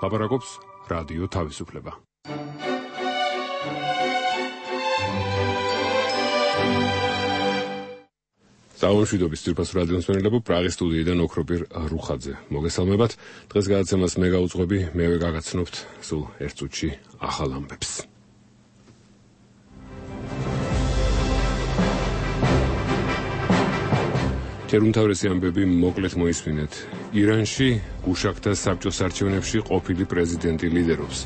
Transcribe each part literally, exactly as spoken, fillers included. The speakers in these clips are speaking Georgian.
ლაპარაკობს რადიო თავისუფლება. Საუნშვიდობის ძირფას რადიოს მენელებო პრაღის სტუდიიდან ოქროპირ რუხაძე. მოგესალმებათ. დღეს გადაცემას მე გავუძღვები, მევე გაგაცნობთ სულ ერთ წუთში ახალ ამბებს. თერუმთავრესი ამბები მოკლედ მოისმინეთ. ირანში გუშაქთა საბჭოს არჩევნებში ყოფილი პრეზიდენტი ლიდერობს.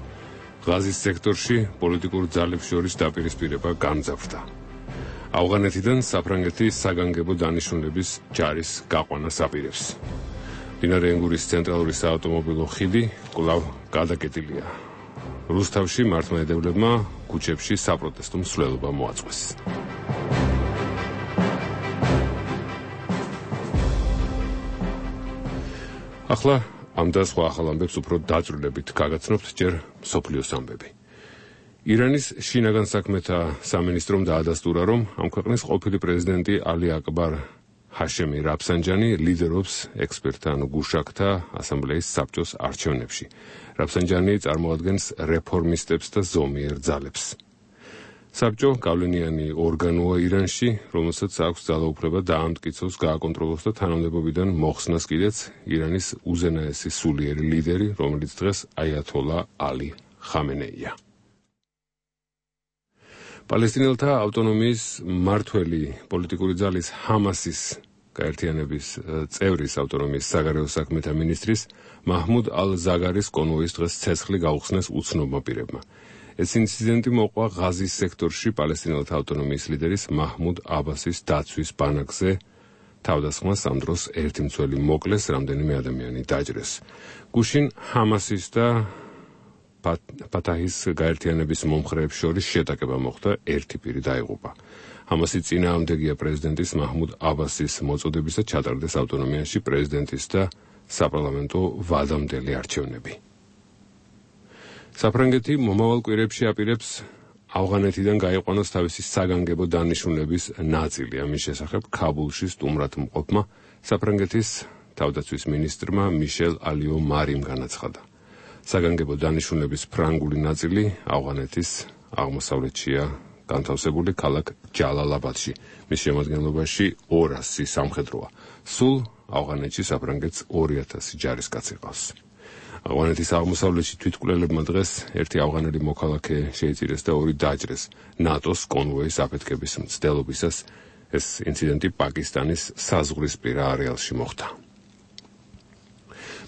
ღაზის სექტორში პოლიტიკურ ძალებს შორის დაპირისპირება გამძაფრდა. ავღანეთიდან საფრანგეთის საგანგებო დანიშნულების ჯარის გაყვანას აპირებს. მდინარე ენგურის ცენტრალური საავტომობილო ხიდი კვლავ გადაკეტილია. რუსთავში მართლმადიდებლებმა ქუჩებში საპროტესტო მსვლელობა მოაწყვეს. ახლა ამ და სხვა ახალ ამბებს უფრო დაწვრილებით გაგაცნობთ ჯერ მსოფლიოს ამბები. ირანის შინაგან საქმეთა სამინისტრომ დაადასტურა, რომ ამ ქვეყნის ყოფილი პრეზიდენტი ალი აკბარ ჰაშემი რაფსანჯანი ლიდერობს ექსპერტთა ანუ გუშაქთა ასამბლეის საბჭოს არჩევნებში. რაფსანჯანი წარმოადგენს რეფორმისტებს და ზომიერ ძალებს. საბჭო გავლენიანი ორგანოა ირანში, რომელსაც აქვს ძალაუფლება დაამტკიცოს, გააკონტროლოს და თანამდებობიდან მოხსნას კიდეც ირანის უზენაესი სულიერი ლიდერი, რომელიც დღეს აიათოლა ალი ხამენეია. პალესტინელთა ავტონომიის მმართველი პოლიტიკური ძალის ჰამასის გაერთიანების წევრის ავტონომიის საგარეო საქმეთა მინისტრის მაჰმუდ ალ-ზაგარის კონვოის დღეს ცეცხლი გაუხსნეს უცნობმა პირებმა. ეს ინციდენტი მოყვა ღაზის სექტორში პალესტინელთა ავტონომიის ლიდერის მაჰმუდ აბასის დაცვის ბანაკზე. თავდასხმას ამ დროს ერთი მცველი მოკლეს, რამდენიმე ადამიანი დაჭრეს. გუშინ ჰამასის და ფათაჰის გაერთიანების მომხრეებს შორის შეტაკება მოხდა, ერთი პირი დაიღუპა. ჰამასი წინააღმდეგია პრეზიდენტის მაჰმუდ აბასის მოწოდების და ჩატარდეს ავტონომიაში პრეზიდენტის და საპარლამენტო ვადამდელი არჩევნები. საფრანგეთი მომავალ კვირებში აპირებს ავღანეთიდან გაიყვანოს თავისი საგანგებო დანიშნულების ნაწილი. ამის შესახებ ქაბულში სტუმრად მყოფმა საფრანგეთის თავდაცვის მინისტრმა მიშელ ალიო მარიმ განაცხადა. საგანგებო დანიშნულების ფრანგული ნაწილი ავღანეთის აღმოსავლეთშია განთავსებული ქალაქ ჯალალაბადში. მის შემადგენლობაში ორასი სამხედროა. სულ ავღანეთში საფრანგეთს ორი ათასი ჯარისკაცი ყავს. ავღანეთის აღმოსავლეთში თვითმკვლელებმა დღეს ერთი ავღანელი მოქალაქე შეიწირეს და ორი დაჭრეს ნატოს კონვოის აფეთქების მცდელობისას. ეს ინციდენტი პაკისტანის საზღვრისპირა არეალში მოხდა.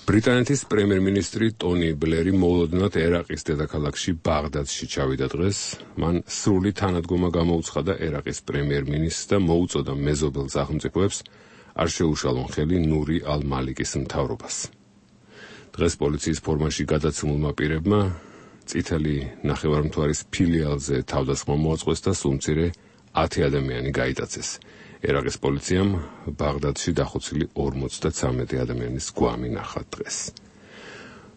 ბრიტანეთის პრემიერ-მინისტრი ტონი ბლერი მოულოდნელად ერაყის დედაქალაქში ბაღდადში ჩავიდა დღეს. მან სრული თანადგომა გამოუცხადა ერაყის პრემიერ-მინისტრს და მოუწოდა მეზობელ სახელმწიფოებს არ შეუშალონ ხელი ნური ალ-მალიკის მთავრობას. დღეს პოლიციის ფორმაში გადაცემულმა პირებმა წითელი ნახევარმთვარის ფილიალზე თავდასხმა მოაწყვეს და სულ მცირე ათი ადამიანი გაიტაცეს. ერაყის პოლიციამ ბაღდადში დახოცილი ორმოცდათვრამეტი ადამიანის გვამი ნახა დღეს.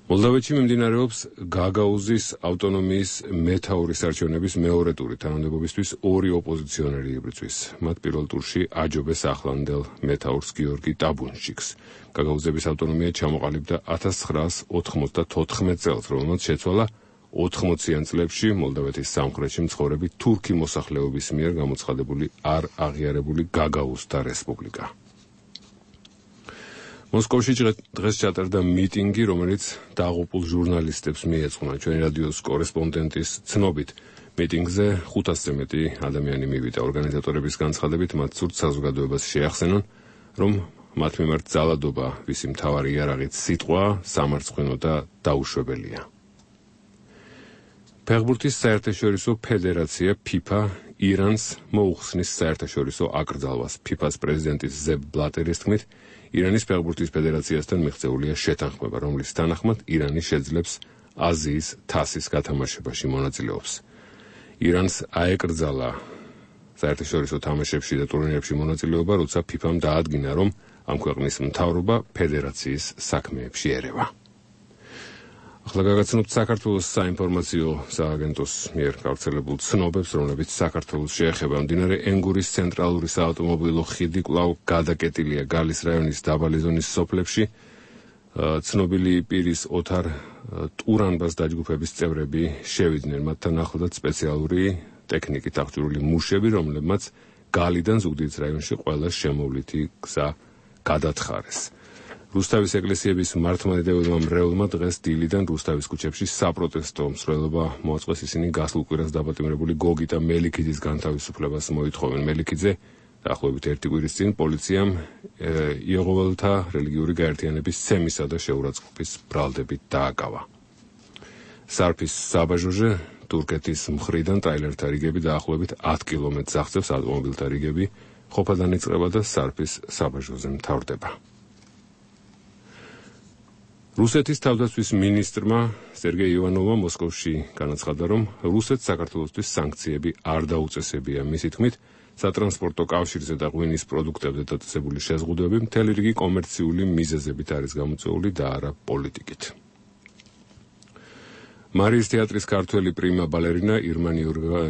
მოლდოვეთში მიმდინარეობს გაგაუზის ავტონომიის მეთაურის არჩევნების მეორე ტური. თანამდებობისთვის ორი ოპოზიციონერი იბრძვის. მათ პირველ ტურში აჯობეს ახლანდელ მეთაურს გიორგი ტაბუნშიკს. გაგაუზების ავტონომია ჩამოყალიბდა ათას ცხრაას ოთხმოცდათოთხმეტ წელს, რომელმაც შეცვალა ოთხმოციან წლებში მოლდოვეთის სამხრეთში მცხოვრები თურქი მოსახლეობის მიერ გამოცხადებული არ აღიარებული გაგაუზთა რესპუბლიკა. მოსკოვში დღეს ჩატარდა მიტინგი, რომელიც დაღუპულ ჟურნალისტებს მიეძღვნა. ჩვენი რადიოს კორესპონდენტის ცნობით, მიტინგზე ხუთასზე მეტი ადამიანი მივიდა. ორგანიზატორების განცხადებით, მათ სურთ საზოგადოებას შეახსენონ, რომ მათ მიმართ ძალადობა, ვისი მთავარი იარაღით სიტყვა, სამარცხვინო და დაუშვებელია. ფეხბურთის საერთაშორისო ფედერაცია ფიფა ირანს მოუხსნის საერთაშორისო აკრძალვას. ფიფას პრეზიდენტის ზებ ბლატერის თქმით, ირანის ფეხბურთის ფედერაციასთან მიღწეულია შეთანხმება, რომლის თანახმად ირანი შეძლებს აზიის თასის გათამაშებაში მონაწილეობს. ირანს აეკრძალა საერთაშორისო თამაშებში და ტურნირებში მონაწილეობა, როცა ფიფამ დაადგინა, რომ ამ ქვეყნის მთავრობა ფედერაციის საქმეებში ერევა. ახლა გაგაცნობთ საქართველოს საინფორმაციო სააგენტოს მიერ გავრცელებულ ცნობებს, რომლებიც საქართველოს შეეხება. მდინარე ენგურის ცენტრალური საავტომობილო ხიდი კვლავ გადაკეტილია გალის რაიონის დაბალი ზონის სოფლებში. ცნობილი პირის ოთარ ტურანბას დაჯგუფების წევრები შევიდნენ, მათთან ახლადაც სპეციალური ტექნიკით აღჭურვილი მუშები, რომლებმაც გალიდან ზუგდიდის რაიონში ყველა შემოვლითი გზა გადათხარეს. რუსთავის ეკლესიების მართლმადიდებელმა მრევლმა დღეს დილიდან რუსთავის ქუჩებში საპროტესტო მსვლელობა მოაწყეს. ისინი გასულ კვირას დაპატიმრებული გოგიტა მელიქიძის განთავისუფლებას მოითხოვენ. მელიქიძე დაახლოებით ერთი კვირის წინ პოლიციამ იეღოველთა რელიგიური გაერთიანების ცემისა და შეურაცხყოფის ბრალდებით დააკავა. სარფის საბაჟოზე თურქეთის მხრიდან ტრაილერთა რიგები დაახლოებით ათ კილომეტრს აღწევს, ავტომობილთა რიგები ყოფადან იწყება და სარფის საბაჟოზე მთავრდება. რუსეთის თავდაცვის მინისტრმა სერგეი ივანოვმა მოსკოვში განაცხადა, რომ რუსეთს საქართველოსთვის სანქციები არ დაუწესებია. მისი თქმით, სატრანსპორტო კავშირზე და ღვინის პროდუქტებზე დაწესებული შეზღუდვები მთელი რიგი კომერციული მიზეზებით არის გამოწვეული და არა პოლიტიკით. მარიის თეატრის ქართველი პრიმა ბალერინა ირმა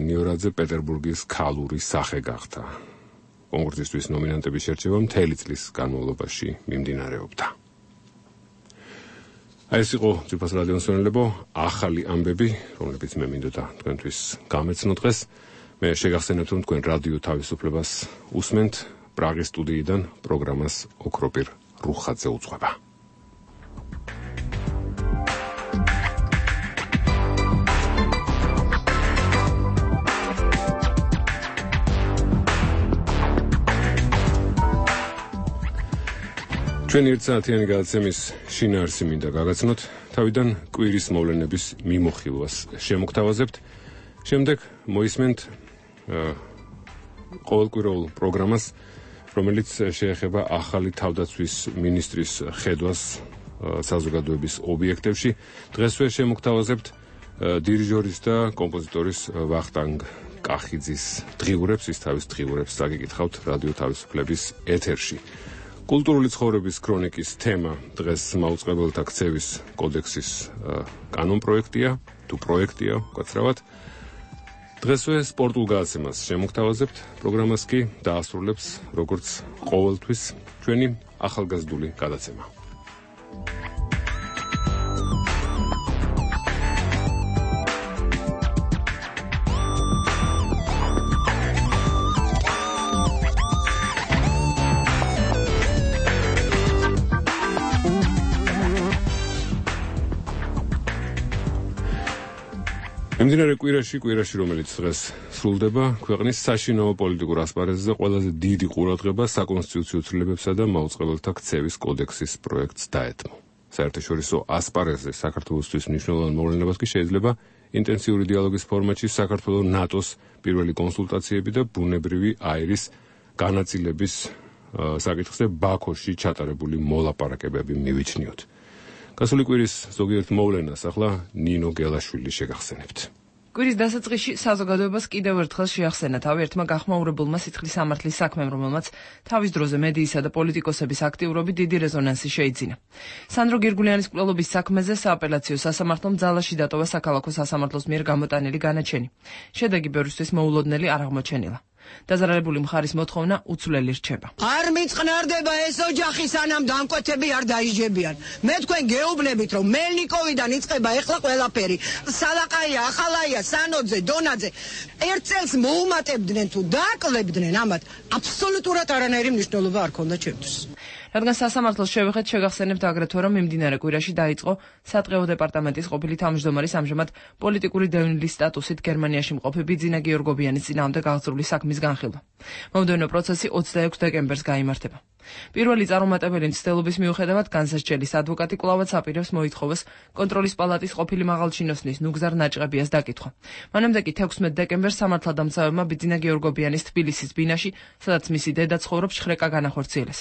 ნიორაძე პეტერბურგის ქალური სახე გახდა. კონკურსისთვის ნომინანტების შერჩევა მთელი წლის განმავლობაში მიმდინარეობდა. აი ეს იყო ძვირფას რადიოს მსმენელებო, ახალი ამბები, რომლებიც მე მინდოდა თქვენთვის გამეცნო დღეს. მე შეგახსენებთ, რომ თქვენ რადიო თავისუფლებას უსმენთ პრაღის სტუდიიდან პროგრამას ოქროპირ რუხაძე უძღვება. ჩვენ ერთსაათიანი გადაცემის შინაარსი მინდა გაგაცნოთ, თავიდან კვირის მოვლენების მიმოხილვას შემოგთავაზებთ. შემდეგ მოისმენთ ყოველკვირეულ პროგრამას, რომელიც შეეხება ახალი თავდაცვის მინისტრის ხედვას საზოგადოების ობიექტებში. დღესვე შემოგთავაზებთ დირიჟორის და კომპოზიტორის ვახტანგ კახიძის დღიურებს, ის თავის დღიურებს წაგიკითხავთ რადიო თავისუფლების ეთერში. კულტურული ცხოვრების ქრონიკის თემა დღეს მაუწყებელთა ქცევის კოდექსის კანონპროექტია, თუ პროექტია, უკაცრავად. დღესვე სპორტულ გადაცემას შემოგთავაზებთ, პროგრამას კი დაასრულებს, როგორც ყოველთვის, ჩვენი ახალგაზრდული გადაცემა. მიმდინარე კვირაში, კვირაში, რომელიც დღეს სრულდება, ქვეყნის საშინაო პოლიტიკურ ასპარეზზე ყველაზე დიდი ყურადღება საკონსტიტუციო ცვლილებებსა და მაუწყებელთა ქცევის კოდექსის პროექტს დაეთმო. საერთაშორისო ასპარეზზე საქართველოსთვის მნიშვნელოვან მოვლენებას კი შეიძლება ინტენსიური დიალოგის ფორმატში საქართველოს ნატოს პირველი კონსულტაციები და ბუნებრივი აირის განაწილების საკითხზე ბაქოში ჩატარებული მოლაპარაკებები მივიჩნიოთ. გასული კვირის ზოგიერთ მოვლენას ახლა ნინო გელაშვილი შეგახსენებთ. კვირის დასაწყისში საზოგადოებას კიდევ ერთხელ შეახსენა თავი ერთმა გახმაურებულმა სიცხლის სამართლის საქმემ, რომელმაც თავის დროზე მედიისა და პოლიტიკოსების აქტიურობით დიდი რეზონანსი შეიძინა. სანდრო გირგულიანის მკვლელობის საქმეზე სააპელაციო სასამართლომ ძალაში დატოვა საქალაქო სასამართლოს მიერ გამოტანილი განაჩენი. შედეგი ბევრისთვის მოულოდნელი არ აღმოჩენილა. დაზარალებული მხარის მოთხოვნა უცვლელი რჩება. არ მიწყნარდება ეს ოჯახი, სანამ დამკვეთები არ დაიჯებიან. მე თქვენ გეუბნებით, რომ მელნიკოვიდან იწყება ეხლა ყველაფერი. სალაყაია, ახალაია, სანოძე, დონაძე. ერთ წელს მოუმატებდნენ თუ დააკლებდნენ, ამათ აბსოლუტურად არანაირი მნიშვნელობა არ ქონდა ჩემთვის. რადგან სასამართლოს შევეხეთ, შეგახსენებთ აგრეთვე, რომ მიმდინარე კვირაში დაიწყო სატყეო დეპარტამენტის ყოფილი თავმჯდომარის ამჟამად პოლიტიკური დევნილის სტატუსით გერმანიაში მყოფი ბიძინა გიორგობიანის წინააღმდეგ აღძრული საქმის განხილვა. მომდევნო პროცესი ოცდაექვსი დეკემბერს გაიმართება. პირველი წარუმატებელი მცდელობის მიუხედავად განსასჯელის ადვოკატი კვლავაც აპირებს მოითხოვოს კონტროლის პალატის ყოფილი მაღალჩინოსნის ნუგზარ ნაჭყებიას დაკითხვა. მანამდე კი თექვსმეტ დეკემბერს სამართალდამცავებმა ბიძინა გიორგობიანის თბილისის ბინაში, სადაც მისი დედა ცხოვრობს, შხრეკა განახორციელეს.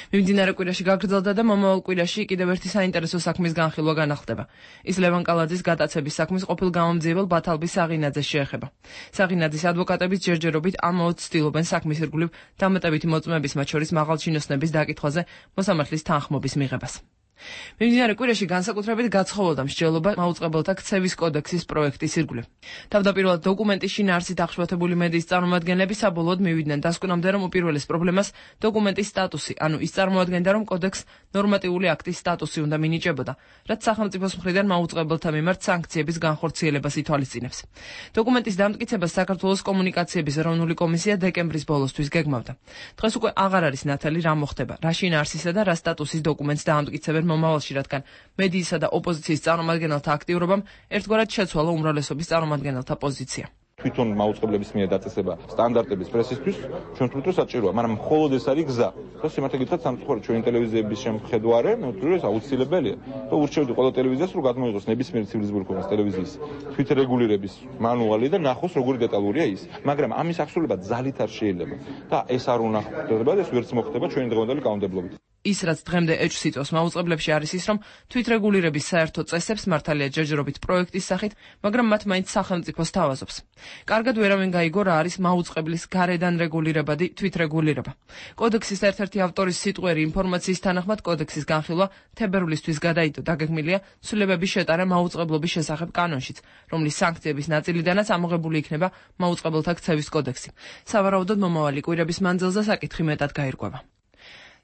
მიმდინარე კვირაში გაგრძელდა და მომავალ კვირაში კიდევ ერთი საინტერესო საქმის განხილვა განახლდება. ის ლევან კალაძის გატაცების საქმის ყოფილ გამომძიებელ ბათალბი საღინაძეს შეეხება. საღინაძის ადვოკატებით ჯერჯერობით ამაოდ ცდილობენ საქმის ირგვლივ დამატებითი მოწმეების, მათ შორის მაღალჩინოსნების დაკითხვაზე მოსამართლის თანხმობის მიღებას. მიმდინარე კვირაში განსაკუთრებით გაცხოვოდა მსჯელობა მაუწყებელთა ქცევის კოდექსის პროექტის ირგვლივ. თავდაპირველად დოკუმენტის შინაარსით აღშფოთებული მედიის წარმომადგენლები საბოლოოდ მივიდნენ დასკვნამდე, რომ უპირველეს პრობლემას დოკუმენტის სტატუსი, ანუ ის წარმოადგენდა, რომ კოდექსს ნორმატიული აქტის სტატუსი უნდა მინიჭებოდა, რაც სახელმწიფოს მხრიდან მაუწყებელთა მიმართ სანქციების განხორციელებას ითვალისწინებს. დოკუმენტის დამტკიცებას საქართველოს კომუნიკაციების ეროვნული კომისია დეკემბრის ბოლოსთვის გეგმავდა. დღეს უკვე აღარ არის ნათელი რა მოხდება, რა შინაარსისა და რა სტატუსის დოკუმენტს დაამტკიცებენ მომავალში, რადგან მედიისა და ოპოზიციის წარმომადგენელთა აქტიურობამ ერთგვარად შეცვალა უმრავლესობის წარმომადგენელთა პოზიცია. თვითონ მაუწყებლების მიერ დაწესება სტანდარტების პრესისთვის ჩვენ თვითონ საჭიროა, მაგრამ მხოლოდ ეს არის გზა. და სიმართლე გითხრათ, სამწუხაროდ ჩვენი ტელევიზიების შემხედვარე, მე ვთვლი, ეს აუცილებელია. და ურჩევდი ყველა ტელევიზიას, რომ გადმოიღოს ნებისმიერი ცივილიზებული ქვეყნის ტელევიზიის თვითრეგულირების მანუალი და ნახოს, როგორი დეტალურია ის. მაგრამ ამის აღსრულება ძალით არ შეიძლება. და ეს არ უნდა ხდება და ეს ვერც მოხდება ჩვენი დღევანდელი კანონმდებლობით. ის, რაც დღემდე ეჭვს იწვევს მაუწყებლებში, არის ის, რომ თვითრეგულირების საერთო წესებს მართალია ჯერჯერობით პროექტის სახით, მაგრამ მათ მაინც სახელმწიფო სთავაზობს. კარგად ვერავინ გაიგო, რა არის მაუწყებლის გარედან რეგულირებადი თვითრეგულირება. კოდექსის ერთ-ერთი ავტორის სიტყვერი ინფორმაციის თანახმად კოდექსის განხილვა თებერვლისთვის გადაიდო. დაგეგმილია ცვლილებების შეტანა მაუწყებლობის შესახებ კანონშიც, რომლის სანქციების ნაწილიდანაც ამოღებული იქნება მაუწყებელთა ქცევის კოდექსი. სავარაუდოდ მომავალი კვირების მანძილზე საკითხი მეტად გაირკვევა.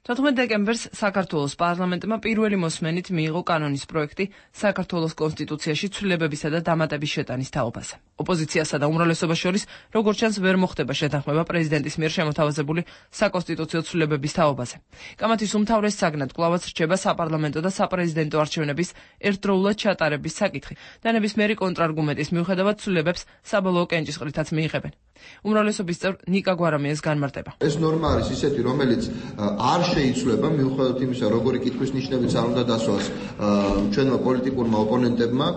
თოთხმეტ დეკემბერს საქართველოს პარლამენტმა პირველი მოსმენით მიიღო კანონის პროექტი საქართველოს კონსტიტუციაში ცვლილებებისა და დამატების შეტანის თაობაზე. ოპოზიციასა და უმრავლესობას შორის, როგორც ჩანს, ვერ მოხდება შეთანხმება პრეზიდენტის მიერ შემოთავაზებული საკონსტიტუციო ცვლილებების თაობაზე. კამათის უმთავრეს საგნად კვლავაც რჩება საპარლამენტო და საპრეზიდენტო არჩევნების ერთდროულად ჩატარების საკითხი და ნებისმიერი კონტრარგუმენტის მიუხედავად ცვლილებებს საბოლოო კენჭისყრითაც მიიღებენ. უმრავლესობის წევრ ნიკა გვარამიას განმარტება. ეს ნორმა არის ისეთი, რომელიც არ შეიცვლება მიუხედავად იმისა, როგორი კითხვის ნიშნებიც არ უნდა დასვას ჩვენმა პოლიტიკურმა ოპონენტებმა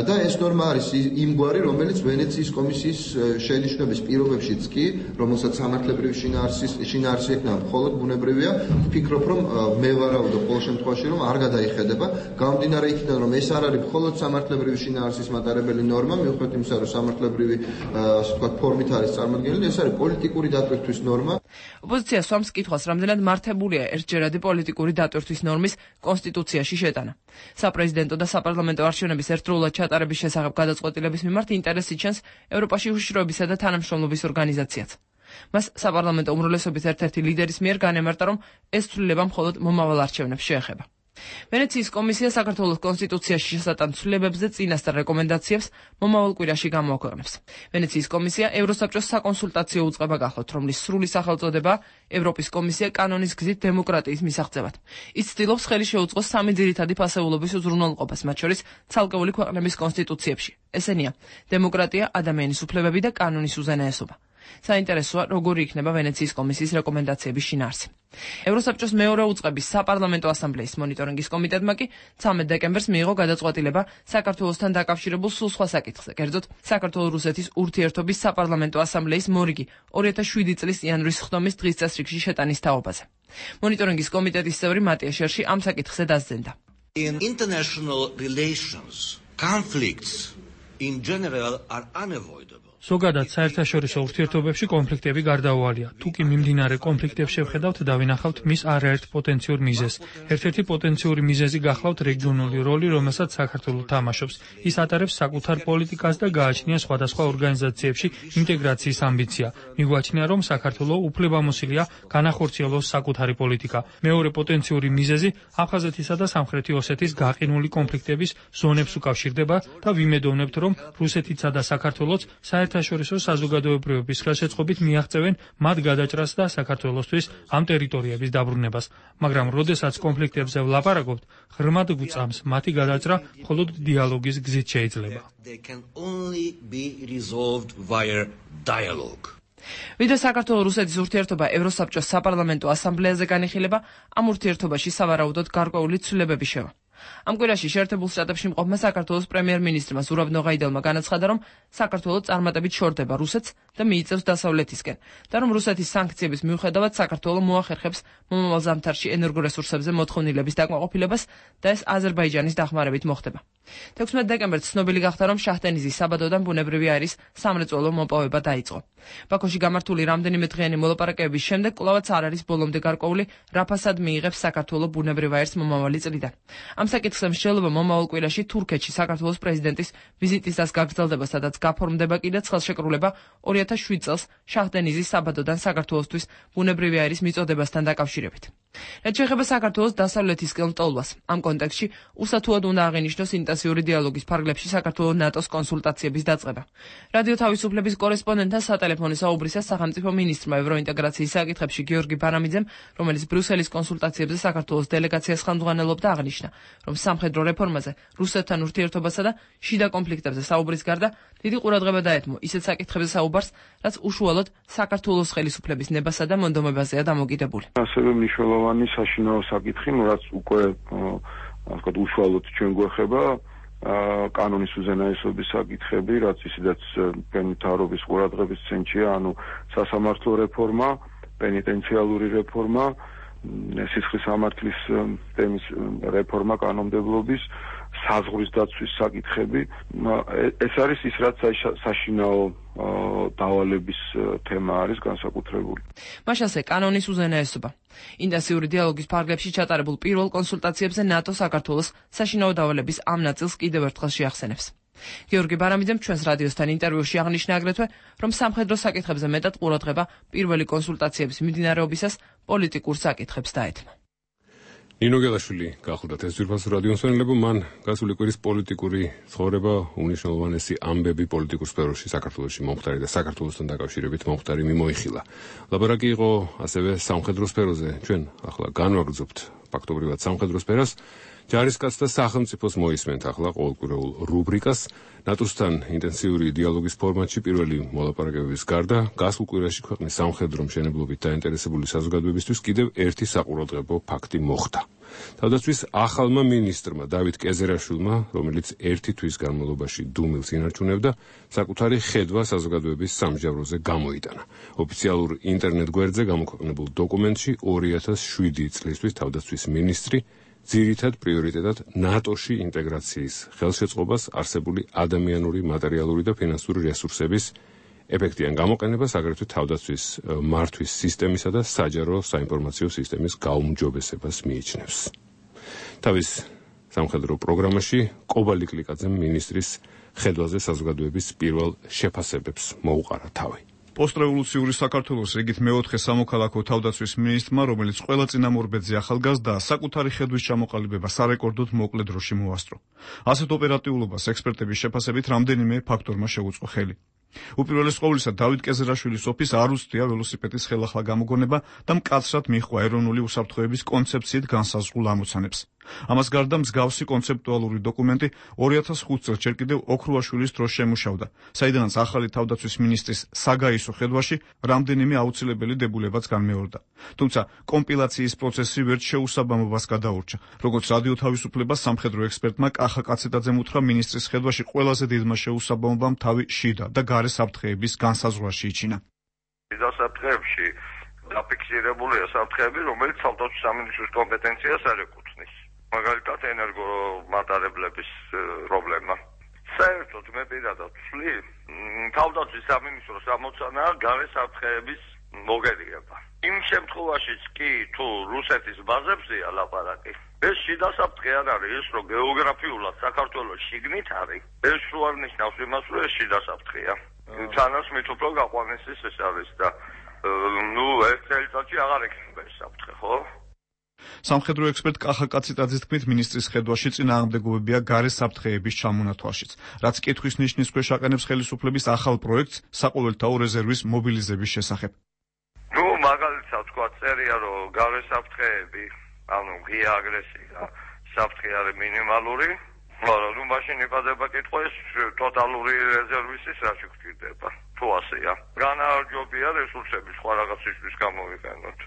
და ეს ნორმა არის იმგვარი, რომელიც ვენეციის კომისიის შენიშვნების პირობებშიც კი, რომელსაც სამართლებრივი შინაარსი ექნება, მხოლოდ ბუნებრივია, ვფიქრობ, რომ მე ვარავდო ყოველ შემთხვევაში, რომ არ გადაიხედება, გამომდინარე იქიდან, რომ ეს არ არის მხოლოდ სამართლებრივი შინაარსის მატარებელი ნორმა, მიუხედავად იმისა, რომ სამართლებრივი ასე ვთქვათ ფორმით არის წარმოდგენილი, ეს არის პოლიტიკური დატვირთვის ნორმა. ოპოზიცია სვამს კითხვას, რამდენად მართებულია ერთჯერადი პოლიტიკური დატვირთვის ნორმის კონსტიტუციაში შეტანა. საპრეზიდენტო და საპარლამენტო არჩევნების ერთდროულად ჩატარების შესახებ გადაწყვეტილების მიმართ ინტერესი ჩანს ევროპაში უშიშროებისა და თანამშრომლობის ორგანიზაციაც. მას საპარლამენტო უმრავლესობის ერთ-ერთი ლიდერის მიერ განემარტა, რომ ეს ცვლილება მხოლოდ მომავალ არჩევნებს შეეხება. ვენეციის კომისია საქართველოს კონსტიტუციაში შესატან ცვლილებებზე წინასწარ რეკომენდაციებს მომავალ კვირაში გამოაქვეყნებს. ვენეციის კომისია ევროსაბჭოს საკონსულტაციო უწყება გახლავთ, რომლის სრული სახელწოდება ევროპის კომისია კანონის გზით დემოკრატიის მისაღწევად. ის ცდილობს ხელი შეუწყოს სამი ძირითადი ფასეულობის უზრუნველყოფას, მათ შორის ცალკეული ქვეყნების კონსტიტუციებში. ესენია: დემოკრატია, ადამიანის უფლებები და კანონის უზენაესობა. საინტერესოა, როგორი იქნება ვენეციის კომისიის რეკომენდაციების შინაარსი. ევროსაბჭოს მეორე უწყების საპარლამენტო ასამბლეის მონიტორინგის კომიტეტმა კი ცამეტ დეკემბერს მიიღო გადაწყვეტილება საქართველოსთან დაკავშირებულ სულ სხვა საკითხზე, კერძოდ საქართველო-რუსეთის ურთიერთობის საპარლამენტო ასამბლეის მორიგი ორი ათას შვიდი წლის იანვრის ხდომის დღის წესრიგში შეტანის თაობაზე. მონიტორინგის კომიტეტის წევრი მატია შერში ამ საკითხზე დასძენდა. In international relations, conflicts in general are unavoidable. ზოგადად საერთაშორისო ურთიერთობებში კონფლიქტები გარდაუვალია. თუ კი მიმდინარე კონფლიქტებს შევხედავთ და ვინახავთ მის არაერთ პოტენციურ მიზეზს. ერთ-ერთი პოტენციური მიზეზი გახლავთ რეგიონული როლი, რომელსაც საქართველო თამაშობს. ის ატარებს საკუთარ პოლიტიკას და გააჩნია სხვადასხვა ორგანიზაციებში ინტეგრაციის ამბიცია. მიგვაჩნია, რომ საქართველო უფლებამოსილია განახორციელოს საკუთარი პოლიტიკა. მეორე პოტენციური მიზეზი აფხაზეთისა და სამხრეთი ოსეთის გაყინული კონფლიქტების ზონებს უკავშირდება და ვიმედოვნებთ, რომ რუსეთიცა და საქართველოც საერთაშორისო საზოგადოებრივების ხელშეწყობით მიაღწევენ მათ გადაჭრას და საქართველოსთვის ამ ტერიტორიების დაბრუნებას. მაგრამ როდესაც კონფლიქტებზე ვლაპარაკობთ, ღრმად გვწამს მათი გადაჭრა მხოლოდ დიალოგის გზით შეიძლება. ვიდრე საქართველო-რუსეთის ურთიერთობა ევროსაბჭოს საპარლამენტო ასამბლეაზე განიხილება, ამ ურთიერთობაში სავარაუდოდ გარკვეული ცვლილებები შევა. ამ კვირაში შეერთებულ შტატებში მყოფმა საქართველოს პრემიერ-მინისტრმა ზურაბ ნოღაიდელმა განაცხადა, რომ საქართველო წარმატებით შორდება რუსეთს და მიიწევს დასავლეთისკენ და რომ რუსეთის სანქციების მიუხედავად საქართველო მოახერხებს მომავალ ზამთარში ენერგორესურსებზე მოთხოვნილების დაკმაყოფილებას და ეს აზერბაიჯანის დახმარებით მოხდება. თექვსმეტ დეკემბერს ცნობილი გახდა, რომ შაჰდენიზის საბადოდან ბუნებრივი აირის სამრეწველო მოპოვება დაიწყო. ბაქოში გამართული რამდენიმე დღიანი მოლაპარაკებების შემდეგ კვლავაც არ არის ბოლომდე გარკვეული, რა ფასად მიიღებს საქართველო ბუნებრივ აირს მომავალი წლიდან. ამ საკითხზე მსჯელობა მომავალ კვირაში თურქეთში საქართველოს პრეზიდენტის ვიზიტისას გაგრძელდება, სადაც გაფორმდება კიდეც ხელშეკრულება ორი ათას შვიდ წელს შაჰდენიზის საბადოდან საქართველოსთვის ბუნებრივი აირის მიწოდებასთან დაკავშირებით. რაც შეეხება საქართველოს დასავლეთისკენ მტოლვას. ამ კონტექსტში უსათუოდ უნდა აღინიშნოს ინტენსიური დიალოგის ფარგლებში საქართველოს ნატოს კონსულტაციების დაწყება. რადიო თავისუფლების კორესპონდენტთან სატელეფონო საუბრისას სახელმწიფო მინისტრმა ევროინტეგრაციის საკითხებში გიორგი ბარამიძემ, რომელიც ბრიუსელის კონსულტაციებზე საქართველოს დელეგაციას ხელმძღვანელობდა, აღნიშნა, რომ სამხედრო რეფორმაზე, რუსეთთან ურთიერთობასა და შიდა კონფლიქტებზე საუბრის გარდა დიდი ყურადღება დაეთმო ისეთ საკითხებზე საუბარს, რაც უშუალოდ საქართველოს ხელისუფლების ნებასა და მონდომებაზეა დამოკიდებული. ასევე მნიშვნელოვანი საშინაო საკითხი, რაც უკვე ასე ვთქვათ, უშუალოდ ჩვენ გვეხება კანონის უზენაესობის საკითხები, რაც ისედაც პენიტენციარობის ყურადღების ცენტრია, ანუ სასამართლო რეფორმა, პენიტენციალური რეფორმა, სისხლის სამართლის თემის რეფორმა კანონმდებლობის, საზღვრის დაცვის საკითხები. ეს არის ის, რაც საშინაო დავალების თემა არის განსაკუთრებული. მას ასე კანონის უზენაესობა. ინტენსიური დიალოგის ფარგლებში ჩატარებულ პირველ კონსულტაციებზე ნატო საქართველოს საშინაო დავალების ამ ნაწილს კიდევ ერთხელ შეახსენებს. გიორგი ბარამიძემ ჩვენს რადიოსთან ინტერვიუში აღნიშნა აგრეთვე, რომ სამხედრო საკითხებზე მეტად ყურადღება პირველი კონსულტაციების მიმდინარეობისას პოლიტიკურ საკითხებს დაეთმო. ნინო გელაშვილი გახლდათ ეს ძვირფასო რადიო მსმენელებო, მან გასული კვირის პოლიტიკური ცხოვრება უნიშნულოვანესი ამბები პოლიტიკურ სფეროში საქართველოში მომხდარი და საქართველოსთან დაკავშირებით მომხდარი მიმოიხილა. ლაბორაკი იყო ასევე სამხედრო სფეროზე. ჩვენ ახლა განვაგრძობთ ფაქტობრივად სამხედრო სფეროს. ჯარისკაცთა სახელმწიფოს მოისმენთ ახლა ყოველკვირეულ რუბრიკას. ნატოსთან ინტენსიური დიალოგის ფორმატში პირველი მოლაპარაკებების გარდა გასულ კვირაში ქვეყნის სამხედრო მშენებლობით დაინტერესებული საზოგადოებისთვის კიდევ ერთი საყურადღებო ფაქტი მოხდა. თავდაცვის ახალმა მინისტრმა დავით კეზერაშვილმა, რომელიც ერთი თვის განმავლობაში დუმილს ინარჩუნებდა, საკუთარი ხედვა საზოგადოების სამსჯავროზე გამოიტანა. ოფიციალურ ინტერნეტ გვერდზე გამოქვეყნებულ დოკუმენტში ორი ათას შვიდი წლისთვის თავდაცვის მინისტრი ძირითად პრიორიტეტად ნატოში ინტეგრაციის ხელშეწყობას, არსებული ადამიანური, მატერიალური და ფინანსური რესურსების ეფექტიან გამოყენებას, აგრეთვე თავდაცვის მართვის სისტემისა და საჯარო საინფორმაციო სისტემის გაუმჯობესებას მიიჩნევს. თავის სამხედრო პროგრამაში კობალი კლიკაძემ მინისტრის ხედვაზე საზოგადოების პირველ შეფასებებს მოუყარა თავი. პოსტრევოლუციური საქართველოს რიგით მეოთხე სამოქალაქო თავდაცვის მინისტრმა, რომელიც ყველა წინამორბედზე ახალგაზრდა, საკუთარი ხედვის ჩამოყალიბება სარეკორდოდ მოკლე დროში მოასწრო. ასეთ ოპერატიულობას ექსპერტების შეფასებით რამდენიმე ფაქტორმა შეუწყო ხელი. უპირველეს ყოვლისა, დავით კეზერაშვილის ოფისს არ უსწრია ველოსიპედის ხელახლა გამოგონება და მკაცრად მიჰყვა ეროვნული უსაფრთხოების კონცეფციით განსაზღვრულ ამოცანებს. ამას გარდა მსგავსი კონცეპტუალური დოკუმენტი ორი ათას ხუთ წელს ჯერ კიდევ ოქრუაშვილის დროს შემუშავდა, საიდანაც ახალი თავდაცვის მინისტრის საგაისო ხედვაში რამდენიმე აუცილებელი დებულებაც განმეორდა. თუმცა კომპილაციის პროცესი ვერც შეუსაბამობას გადაურჩა, როგორც რადიო თავისუფლებას სამხედრო ექსპერტმა კახა კაცეტაძემ უთხრა, მინისტრის ხედვაში ყველაზე დიდმა შეუსაბამობამ თავი შიდა და გარე საფრთხეების განსაზღვრაში იჩინა. შიდა საფრთხეებში დაფიქსირებულია საფრთხეები, რომელიც თავდაცვის სამინისტროს კომპეტენციას არ ეკუთვნის. მაგალითად, ენერგომატარებლების პრობლემა. საერთოდ მე პირადად ვთვლი, თავდაცვის სამინისტროს ამოცანაა გარე საფრთხეების მოგერიება. იმ შემთხვევაშიც კი თუ რუსეთის ბაზებზეა ლაპარაკი, ეს შიდა საფრთხე არ არის, ეს რომ გეოგრაფიულად საქართველოს შიგნით არის, ეს რო არ ნიშნავს იმას, რომ ეს შიდა საფრთხეა. თანაც მით უფრო გაყვანისის ეს არის და ნუ ეს წელიწადში აღარ ექნება ეს საფრთხე, ხო? სამხედრო ექსპერტ კახა კაცეტაძის თქმით, მინისტრის ხედვაში წინააღმდეგობებია გარე საფრთხეების ჩამონათვალშიც, რაც კითხვის ნიშნის ქვეშ აყენებს ხელისუფლების ახალ პროექტს საყოველთაო რეზერვის მობილიზების შესახებ. ნუ მაგალითად თქვა წერია, რომ გარე საფრთხეები, ანუ ღია აგრესია, საფრთხე არის მინიმალური, მაგრამ ნუ მაშინ იბადება კითხვა, ეს ტოტალური რეზერვისის რაში გვჭირდება, თუ ასეა. განაარჯობია რესურსები სხვა რაღაცისთვის გამოვიყენოთ.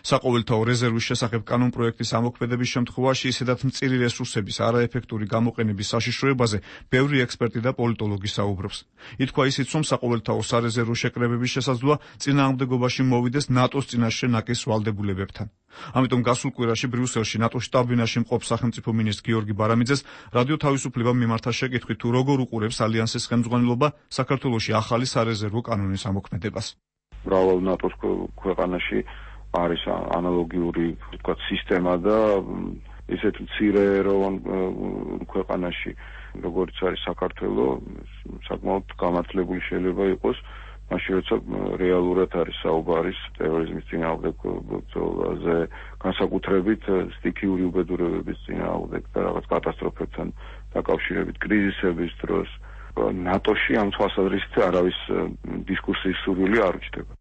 საყოველთაო რეზერვის შესახებ კანონპროექტის ამოქმედების შემთხვევაში ისედაც მწირი რესურსების არაეფექტური გამოყენების საშიშროებაზე ბევრი ექსპერტი და პოლიტოლოგი საუბრობს. ითქვა ისიც, რომ საყოველთაო სარეზერვო შეკრებების შესაძლოა წინააღმდეგობაში მოვიდეს ნატოს წინაშე ნაკის ვალდებულებებთან. ამიტომ გასულ კვირაში ბრიუსელში ნატოს შტაბ-ბინაში მყოფ სახელმწიფო მინისტრ გიორგი ბარამიძეს რადიო თავისუფლებამ მიმართა შეკითხვით, თუ როგორ უყურებს ალიანსის ხელმძღვანელობა საქართველოში ახალი სარეზერვო კანონის ამოქმედებას. მრავალ ნატოს ქვეყანაში არის ანალოგიური, ვთქვათ, სისტემა და ისეთ მცირე ეროვან ქვეყანაში, როგორც არის საქართველო, საკმაოდ გამართლებული შეიძლება იყოს მაშინ როცა რეალურად არის საუბარი ტერორიზმის წინააღმდეგზე, განსაკუთრებით სტიქიური უბედურებების წინააღმდეგ და რაღაც კატასტროფებთან დაკავშირებით კრიზისების დროს ნატოში ამ თვალსაზრისით არავის დისკუსიის სურვილი არ უჩნდება.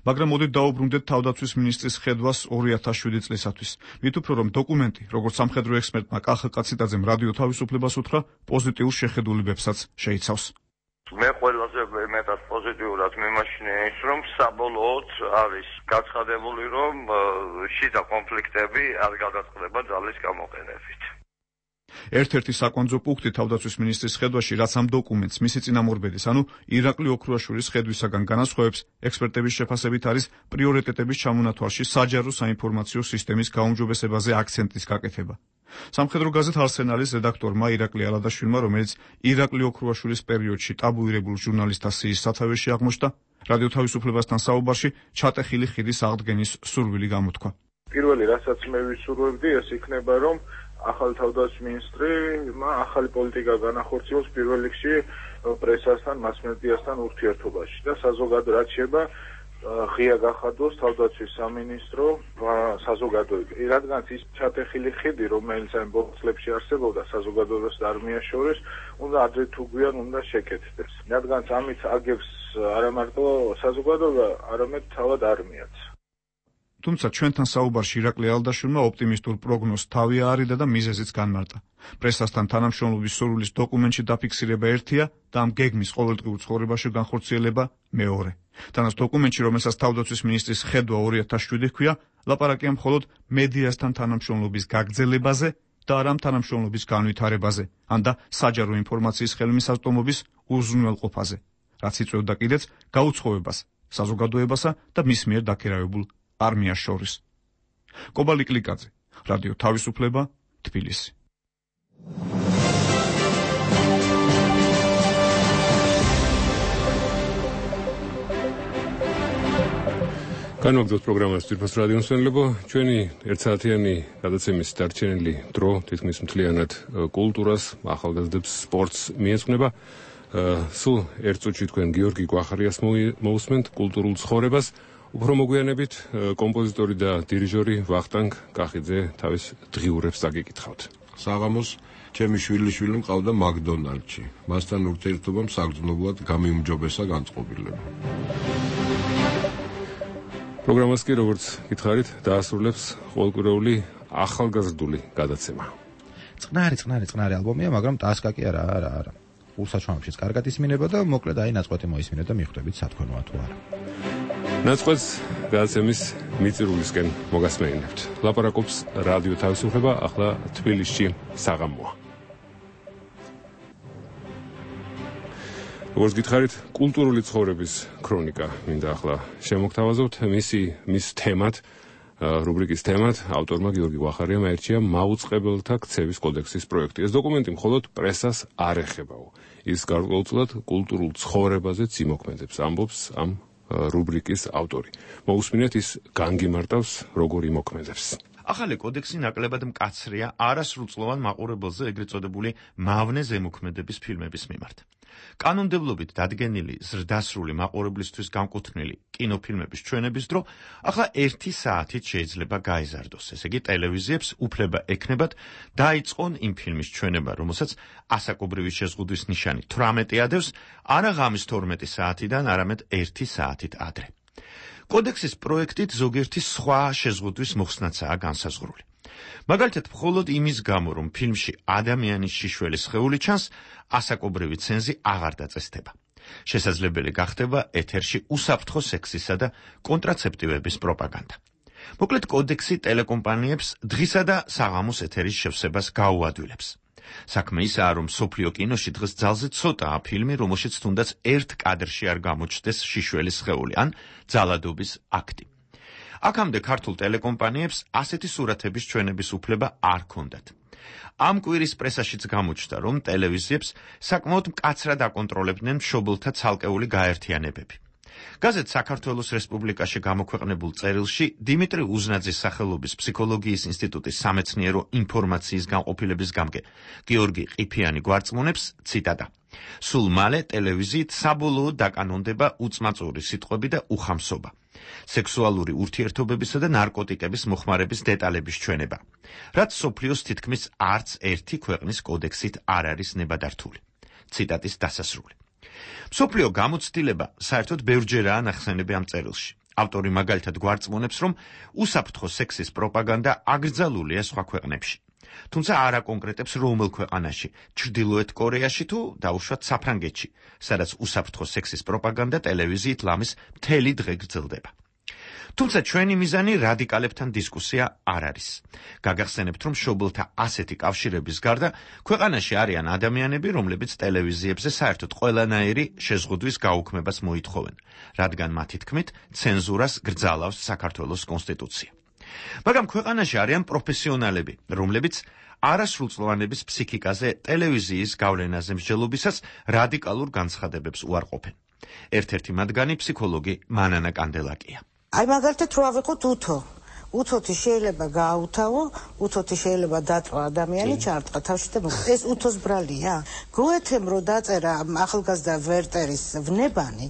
მაგრამ მოდით დაუბრუნდეთ თავდაცვის მინისტრის ხედვას ორი ათას შვიდი წლისათვის. მით უფრო რომ დოკუმენტი, როგორც სამხედრო ექსპერტმა კახა კაციტაძემ რადიო თავისუფლებას უთხრა, პოზიტიურ შეხედულებებსაც შეიცავს. მე ყველაზე მეტად პოზიტიურად მიმაჩნია ის, რომ საბოლოოდ არის გაცხადებული, რომ შიდა კონფლიქტები არ გადაწყდება ძალის გამოყენებით. ერთ-ერთი საკვანძო პუნქტი თავდაცვის მინისტრის ხედვაში, რაც ამ დოკუმენტს მისი წინამორბედის, ანუ ირაკლი ოქრუაშვილის ხედვისაგან განასხვავებს, ექსპერტების შეფასებით არის პრიორიტეტების ჩამონათვალში საჯარო საინფორმაციო სისტემის გაუმჯობესებაზე აქცენტის გაკეთება. სამხედრო გაზეთ არსენალის რედაქტორმა ირაკლი ალადაშვილმა, რომელიც ირაკლი ოქრუაშვილის პერიოდში ტაბუირებულ ჟურნალისტთა სიის სათავეში აღმოჩნდა, რადიო თავისუფლებასთან საუბარში ჩატეხილი ხიდის აღდგენის სურვილი გამოთქვა. პირველი, რასაც მე ვისურვებდი, ეს იქნება, რომ ახალი თავდაცვის მინისტრი ახალი პოლიტიკა განახორციელოს პირველ რიგში პრესასთან, მასმედიასთან ურთიერთობაში და საზოგადო რაც შეება ღია გახადოს თავდაცვის სამინისტრო საზოგადოება. რადგან ის ჩატეხილი ხიდი, რომელიც ამ ბოლო წლებში არსებობდა საზოგადოებას და არმიას შორის, უნდა ადრე თუ გვიან უნდა შეკეთდეს. რადგან ამით აგებს არა მარტო საზოგადოება, არამედ თავად არმიაც. თუმცა ჩვენთან საუბარში ირაკლი ალადაშვილმა ოპტიმისტურ პროგნოზს თავი აარიდა და მიზეზიც განმარტა. პრესასთან თანამშრომლობის სურვილის დოკუმენტში დაფიქსირება ერთია და ამ გეგმის ყოველდღიურ ცხოვრებაში განხორციელება მეორე. თანაც დოკუმენტში, რომელსაც თავდაცვის მინისტრის ხედვა ორი ათას შვიდი ჰქვია, ლაპარაკია მხოლოდ მედიასთან თანამშრომლობის გაგრძელებაზე და არა ამ თანამშრომლობის განვითარებაზე, ან და საჯარო ინფორმაციის ხელმისაწვდომობის უზრუნველყოფაზე, რაც იწვევდა კიდეც გაუცხოებას საზოგადოებასა და მის მიერ დაქირავებულ არმიას შორის. კობალი კლიკაძე, რადიო თავისუფლება, თბილისი. განვაგრძოთ პროგრამას ძვირფას რადიო მსმენელებო, ჩვენი ერთსაათიანი გადაცემის დარჩენილი დრო თითქმის მთლიანად კულტურას, ახალგაზრდებს, სპორტს მიეძღვნება. სულ ერთ წუთში თქვენ გიორგი გვახარიას მოусმენთ კულტურულ ცხოვრებას. უფრო მოგვიანებით კომპოზიტორი და დირიჟორი ვახტანგ კახიძე თავის დღიურებს დაგეკითხავთ. საღამოს ჩემი შვილიშვილი მყავდა მაკდონალდში. მასთან ურთიერთობამ საგრძნობლად გამიუმჯობესა განწყობილება. პროგრამას კი როგორც გითხარით, დაასრულებს ყოველკვირეული ახალგაზრდული გადაცემა. წყნარი, წყნარი, წყნარი ალბომია, მაგრამ ტასკა კი არა, არა, არა. ურსაჩვენებშიც კარგად ისმინება და მოკლედ აი ნაწყვეტი მოისმინეთ და მიხვდებით სათქონოა თუ არა. ნაწყვეტს გადაცემის მიწირულისკენ მოგასმენინებთ. ლაპარაკობს რადიო თავისუფლება, ახლა თბილისში საღამოა. როგორც გითხარით, კულტურული ცხოვრების ქრონიკა მინდა ახლა შემოგთავაზოთ. მისი მის თემად, რუბრიკის თემად ავტორმა გიორგი გვახარიამ აირჩია მაუწყებელთა ქცევის კოდექსის პროექტი. ეს დოკუმენტი მხოლოდ პრესას არ ეხებაო. ის გარკვეულწილად კულტურულ ცხოვრებაზეც იმოქმედებს, ამბობს ამ რუბრიკის ავტორი. მოусმინეთ ის განგიმარტავს როგორ იმოქმედებს. ახალი კოდექსი ნაკლებად მკაცრია არასრულწლოვან მაყურებელზე ეგრეთ წოდებული მავნე ზემოქმედების ფილმების მიმართ. კანონმდებლობით დადგენილი ზრდასრული მაყურებლისთვის განკუთვნილი კინოფილმების ჩვენების დრო ახლა ერთი საათით შეიძლება გაეზარდოს. ესე იგი ტელევიზიებს უფლება ექნებათ დაიწყონ იმ ფილმის ჩვენება, რომელსაც ასაკობრივი შეზღუდვის ნიშანი თვრამეტი ადევს, არა ღამის თორმეტი საათიდან, არამედ ერთი საათით ადრე. კოდექსის პროექტით ზოგიერთი სხვა შეზღუდვის მოხსნაცაა განსაზღვრული. მაგალითად, მხოლოდ იმის გამო, რომ ფილმში ადამიანის შიშველი სხეული ჩანს, ასაკობრივი ცენზი აღარ დაწესდება. შესაძლებელი გახდება ეთერში უსაფრთხო სექსისა და კონტრაცეპტივების პროპაგანდა. მოკლედ, კოდექსი ტელეკომპანიებს დღისა და საღამოს ეთერის შევსებას გაუადვილებს. საქმე ისაა, რომ სოფლიო კინოში დღეს ძალზე ცოტაა ფილმი, რომელშიც თუნდაც ერთ კადრში არ გამოჩნდეს შიშველი სხეული ან ძალადობის აქტი. აქამდე ქართულ ტელეკომპანიებს ასეთი სურათების ჩვენების უფლება არ ჰქონდათ. ამ კვირის პრესაშიც გამოჩნდა, რომ ტელევიზიებს საკმაოდ მკაცრად აკონტროლებდნენ მშობელთა ცალკეული გაერთიანებები. გაზეთ საქართველოს რესპუბლიკაში გამოქვეყნებულ წერილში დიმიტრი უზნაძის სახელობის ფსიქოლოგიის ინსტიტუტის სამეცნიერო ინფორმაციის განყოფილების გამგე გიორგი ყიფიანი გვარწმუნებს, ციტატა: სულ მალე ტელევიზიით საბოლოოდ დაკანონდება უწმაწური სიტყვები და უხამსობა, სექსუალური ურთიერთობებისა და ნარკოტიკების მოხმარების დეტალების ჩვენება, რაც სოფლიოს თითქმის არც ერთი ქვეყნის კოდექსით არ არის ნებადართული. ციტატის დასასრული. მსოფლიო გამოცდილება საერთოდ ბევრჯერაა ნახსენები ამ წერილში. ავტორი მაგალითად გვარწმუნებს, რომ უსაფრთხო სექსის პროპაგანდა აკრძალულია სხვა ქვეყნებში. თუმცა არ აკონკრეტებს რომელ ქვეყანაში, ჩრდილოეთ კორეაში თუ დაუშვათ საფრანგეთში, სადაც უსაფრთხო სექსის პროპაგანდა ტელევიზიით ლამის მთელი დღე გრძელდება. თუმცა ჩვენი მიზანი რადიკალებთან დისკუსია არ არის. გაგახსენებთ, რომ მშობელთა ასეთი კავშირების გარდა ქვეყანაში არიან ადამიანები, რომლებიც ტელევიზიებზე საერთოდ ყველანაირი შეზღუდვის გაუქმებას მოითხოვენ, რადგან მათი თქმით ცენზურას გრძალავს საქართველოს კონსტიტუცია. მაგრამ ქვეყანაში არიან პროფესიონალები, რომლებიც არასრულწლოვანების ფსიქიკაზე ტელევიზიის გავლენაზე მსჯელობისას რადიკალურ განცხადებებს უარყოფენ. ერთ-ერთი მათგანი ფსიქოლოგი მანანა კანდელაკია. აი მაგალითად რო ავიღოთ უთო. უთოთი შეიძლება გააუთავო, უთოთი შეიძლება დაწვა ადამიანი, ჩარტყა თავში და მოხდა. ეს უთოს ბრალია? გოეთემ რო დაწერა ახალგაზრდა ვერტერის ვნებანი,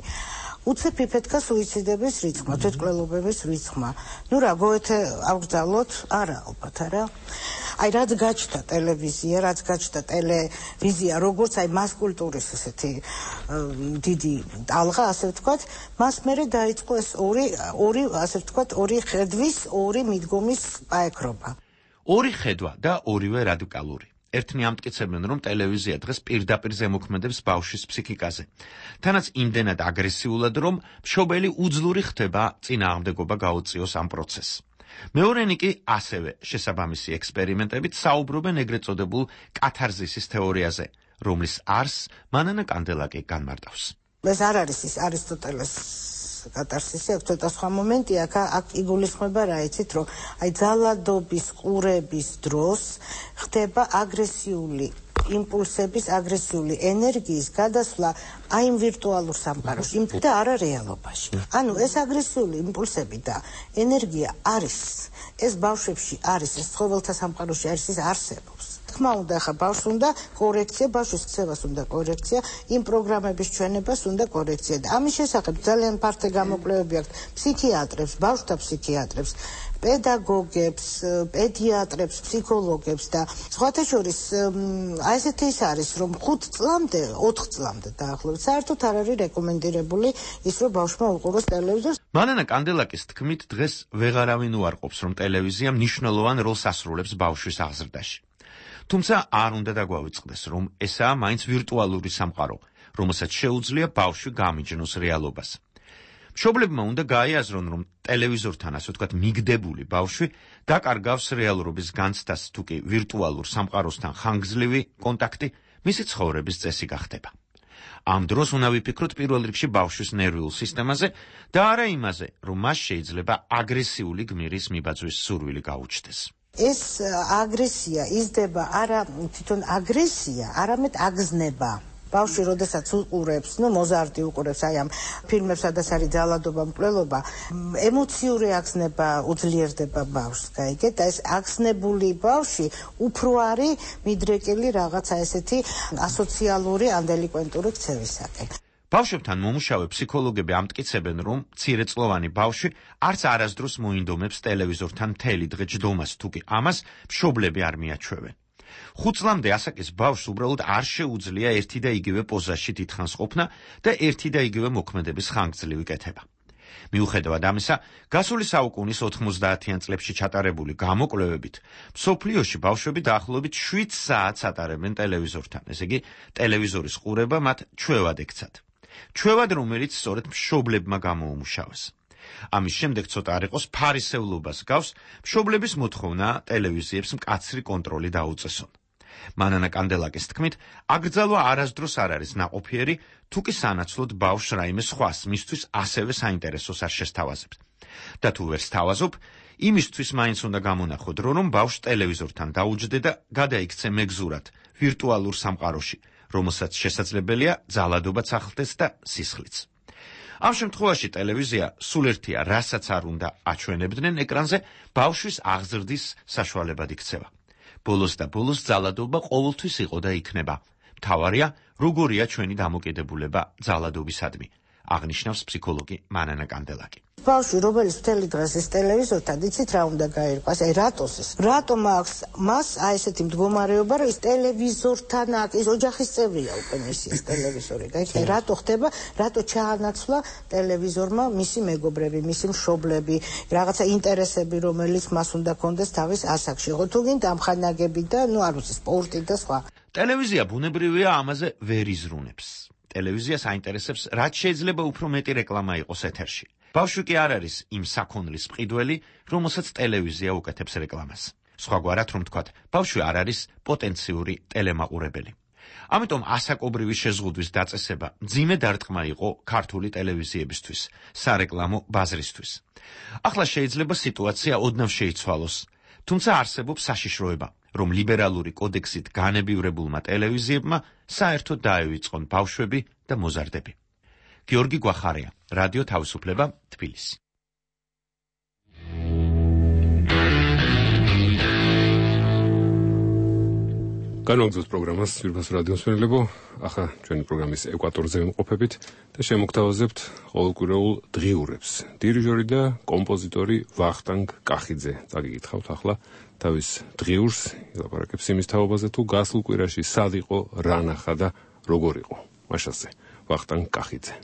უცებ იფეთქა სუიციდების რიცხვმა, თვითმკვლელობების რიცხვმა. ნუ რა, გოეთე აღგზავნოთ? არა, ალბათ არა. აი რაც გაჩნდა ტელევიზია, რაც გაჩნდა ტელევიზია, როგორც აი მას კულტურის ესეთი დიდი ტალღა, ასე ვთქვათ, მას მერე დაიწყო ეს ორი ორი ასე ვთქვათ, ორი ხედვის, ორი მიდგომის პაექრობა. ორი ხედვა და ორივე რადიკალური. ერთნი ამტკიცებენ, რომ ტელევიზია დღეს პირდაპირ ზემოქმედებს ბავშვის ფსიქიკაზე. თანაც იმდენად აგრესიულად, რომ მშობელი უძლური ხდება წინააღმდეგობა გაუწიოს ამ პროცესს. მეორენი კი ასევე შესაბამისი ექსპერიმენტებით საუბრობენ ეგრეთ წოდებულ კათარზისის თეორიაზე, რომლის არსს მანანა კანდელაკი განმარტავს. ეს არ არის ის არისტოტელეს კათარსისი, აქ ცოტა სხვა მომენტია, აქ იგულისხმება რა იცით, რომ აი ძალადობის ყურების დროს ხდება აგრესიული იმპულსების, აგრესიული ენერგიის გადასვლა აი იმ ვირტუალურ სამყაროში და არა რეალობაში. ანუ ეს აგრესიული იმპულსები და ენერგია არის, ეს ბავშვებში არის, ეს ცხოველთა სამყაროში არის, ის არსებობს. თქმა უნდა, ახლა ბავშვს უნდა კორექცია, ბავშვის ქცევას უნდა კორექცია, იმ პროგრამების ჩვენებას უნდა კორექცია და ამის შესახებ ძალიან ფართო გამოკვლევები აქვს ფსიქიატრებს, ბავშვთა ფსიქიატრებს, პედაგოგებს, პედიატრებს, ფსიქოლოგებს და სხვათა შორის აი ესეთი ის არის, რომ ხუთ წლამდე, ოთხ წლამდე დაახლოებით საერთოდ არ არის რეკომენდირებული ის, რომ ბავშვმა უყუროს ტელევიზორს. მანანა კანდელაკის თქმით, დღეს ვეღარავინ უარყოფს, რომ ტელევიზია მნიშვნელოვან როლს ასრულებს ბავშვის აღზრდაში. თუმცა არ უნდა დაგვავიწყდეს, რომ ესაა მაინც ვირტუალური სამყარო, რომელსაც შეუძლია ბავშვი გამიჯნოს რეალობას. მშობლებმა უნდა გაიაზრონ, რომ ტელევიზორთან, ასე ვთქვათ, მიგდებული ბავშვი დაკარგავს რეალურობის განცდას, თუ კი ვირტუალურ სამყაროსთან ხანგრძლივი კონტაქტი მისი ცხოვრების წესი გახდება. ამ დროს უნდა ვიფიქროთ პირველ რიგში ბავშვის ნერვიულ სისტემაზე და არა იმაზე, რომ მას შეიძლება აგრესიული გმირის მიბაძვის სურვილი გაუჩნდეს. ეს აგრესია იზრდება არა თვითონ აგრესია, არამედ აგზნება. ბავშვი როდესაც უყურებს, ნუ მოზარტი უყურებს აი ამ ფილმებს, სადაც არის ძალადობა, მკვლელობა, ემოციური აგზნება უძლიერდება ბავშვს, გაიგეთ? და ეს აგზნებული ბავშვი უფრო არის მიდრეკილი რაღაცა ესეთი ასოციალური ან დელიკვენტური ქცევისაკენ. ბავშვებთან მომუშავე ფსიქოლოგები ამტკიცებენ, რომ მცირეწლოვანი ბავშვი არც არასდროს მოინდომებს ტელევიზორთან მთელი დღე ჯდომას, თუკი ამას მშობლები არ მიაჩვევენ. ხუთ წლამდე ასაკის ბავშვს უბრალოდ არ შეუძლია ერთი და იგივე პოზაში დიდხანს ყოფნა და ერთი და იგივე მოქმედების ხანგრძლივი კეთება. მიუხედავად ამისა, გასული საუკუნის ოთხმოცდაათიან წლებში ჩატარებული გამოკვლევებით, მსოფლიოში ბავშვები დაახლოებით შვიდ საათს ატარებენ ტელევიზორთან, ესე იგი, ტელევიზორის ყურება მათ ჩვევად ექცათ. ჩვევად, რომელიც სწორედ მშობლებმა გამოუმუშავეს. ამის შემდეგ ცოტა არ იყოს ფარისევლობას გავს მშობლების მოთხოვნა ტელევიზიებს მკაცრი კონტროლი დაუწესონ. მანანა კანდელაკის თქმით, აკრძალვა არასდროს არ არის ნაყოფიერი, თუ კი სანაცვლოდ ბავშვს რაიმე სხვას მისთვის ასევე საინტერესოს არ შესთავაზებთ. და თუ ვერ სთავაზობ, იმისთვის მაინც უნდა გამონახო დრო, რომ ბავშვს ტელევიზორთან დაუჯდე და გადაიქცე მეგზურად ვირტუალურ სამყაროში, რომელსაც შესაძლებელია ძალადობაც ახლდეს და სისხლიც. ამ შემთხვევაში ტელევიზია სულ ერთია, რასაც არ უნდა აჩვენებდნენ ეკრანზე, ბავშვის აღზრდის საშუალებად იქცევა. ბოლოს და ბოლოს ძალადობა ყოველთვის იყო და იქნება. მთავარია, როგორია ჩვენი დამოკიდებულება ძალადობისადმი, აღნიშნავს ფსიქოლოგი მანანა კანდელაკი. ბავშვი, რომელიც მთელი დღეს ის ტელევიზორთან, იცით რა უნდა გაირკვას? აი რატოს ეს? რატომ აქვს მას აი ესეთი მდგომარეობა, რომ ის ტელევიზორთან აქვს, ის ოჯახის წევრია უკვე მისი ეს ტელევიზორი. გაიგე, რატო ხდება, რატო ჩაანაცვლა ტელევიზორმა მისი მეგობრები, მისი მშობლები, რაღაცა ინტერესები, რომელიც მას უნდა კონდეს თავის ასაკში. ხო თუ გინდა ამხანაგები და ნუ არ ვიცი, სპორტი და სხვა. ტელევიზია ბუნებრივია ამაზე ვერ იზრუნებს. ტელევიზიას აინტერესებს, რაც შეიძლება უფრო მეტი რეკლამა იყოს ეთერში. ბავშვი კი არ არის იმ საქონლის მყიდველი, რომელსაც ტელევიზია უკეთებს რეკლამას. სხვაგვარად რომ ვთქვათ, ბავშვი არ არის პოტენციური ტელემაყურებელი. ამიტომ ასაკობრივი შეზღუდვის დაწესება მძიმე დარტყმა იყო ქართული ტელევიზიებისთვის, სარეკლამო ბაზრისთვის. ახლა შეიძლება სიტუაცია ოდნავ შეიცვალოს, თუმცა არსებობს საშიშროება, რომ ლიბერალური კოდექსით განებივრებულმა ტელევიზიებმა საერთოდ დაევიწყონ ბავშვები და მოზარდები. გიორგი გვახარია, რადიო თავისუფლება, თბილისი. განვაგრძოთ პროგრამას ძვირფას რადიოს მშენებლებო, ახლა ჩვენი პროგრამის ეკვატორზე ვიმყოფებით და შემოგთავაზებთ ყოველკვირეულ დღიურებს. დირიჟორი და კომპოზიტორი ვახტანგ კახიძე წაგიკითხავთ ახლა თავის დღიურს, ილაპარაკებს იმის თაობაზე, თუ გასულ კვირაში სად იყო, რა ნახა და როგორ იყო. მაშასე, ვახტანგ კახიძე.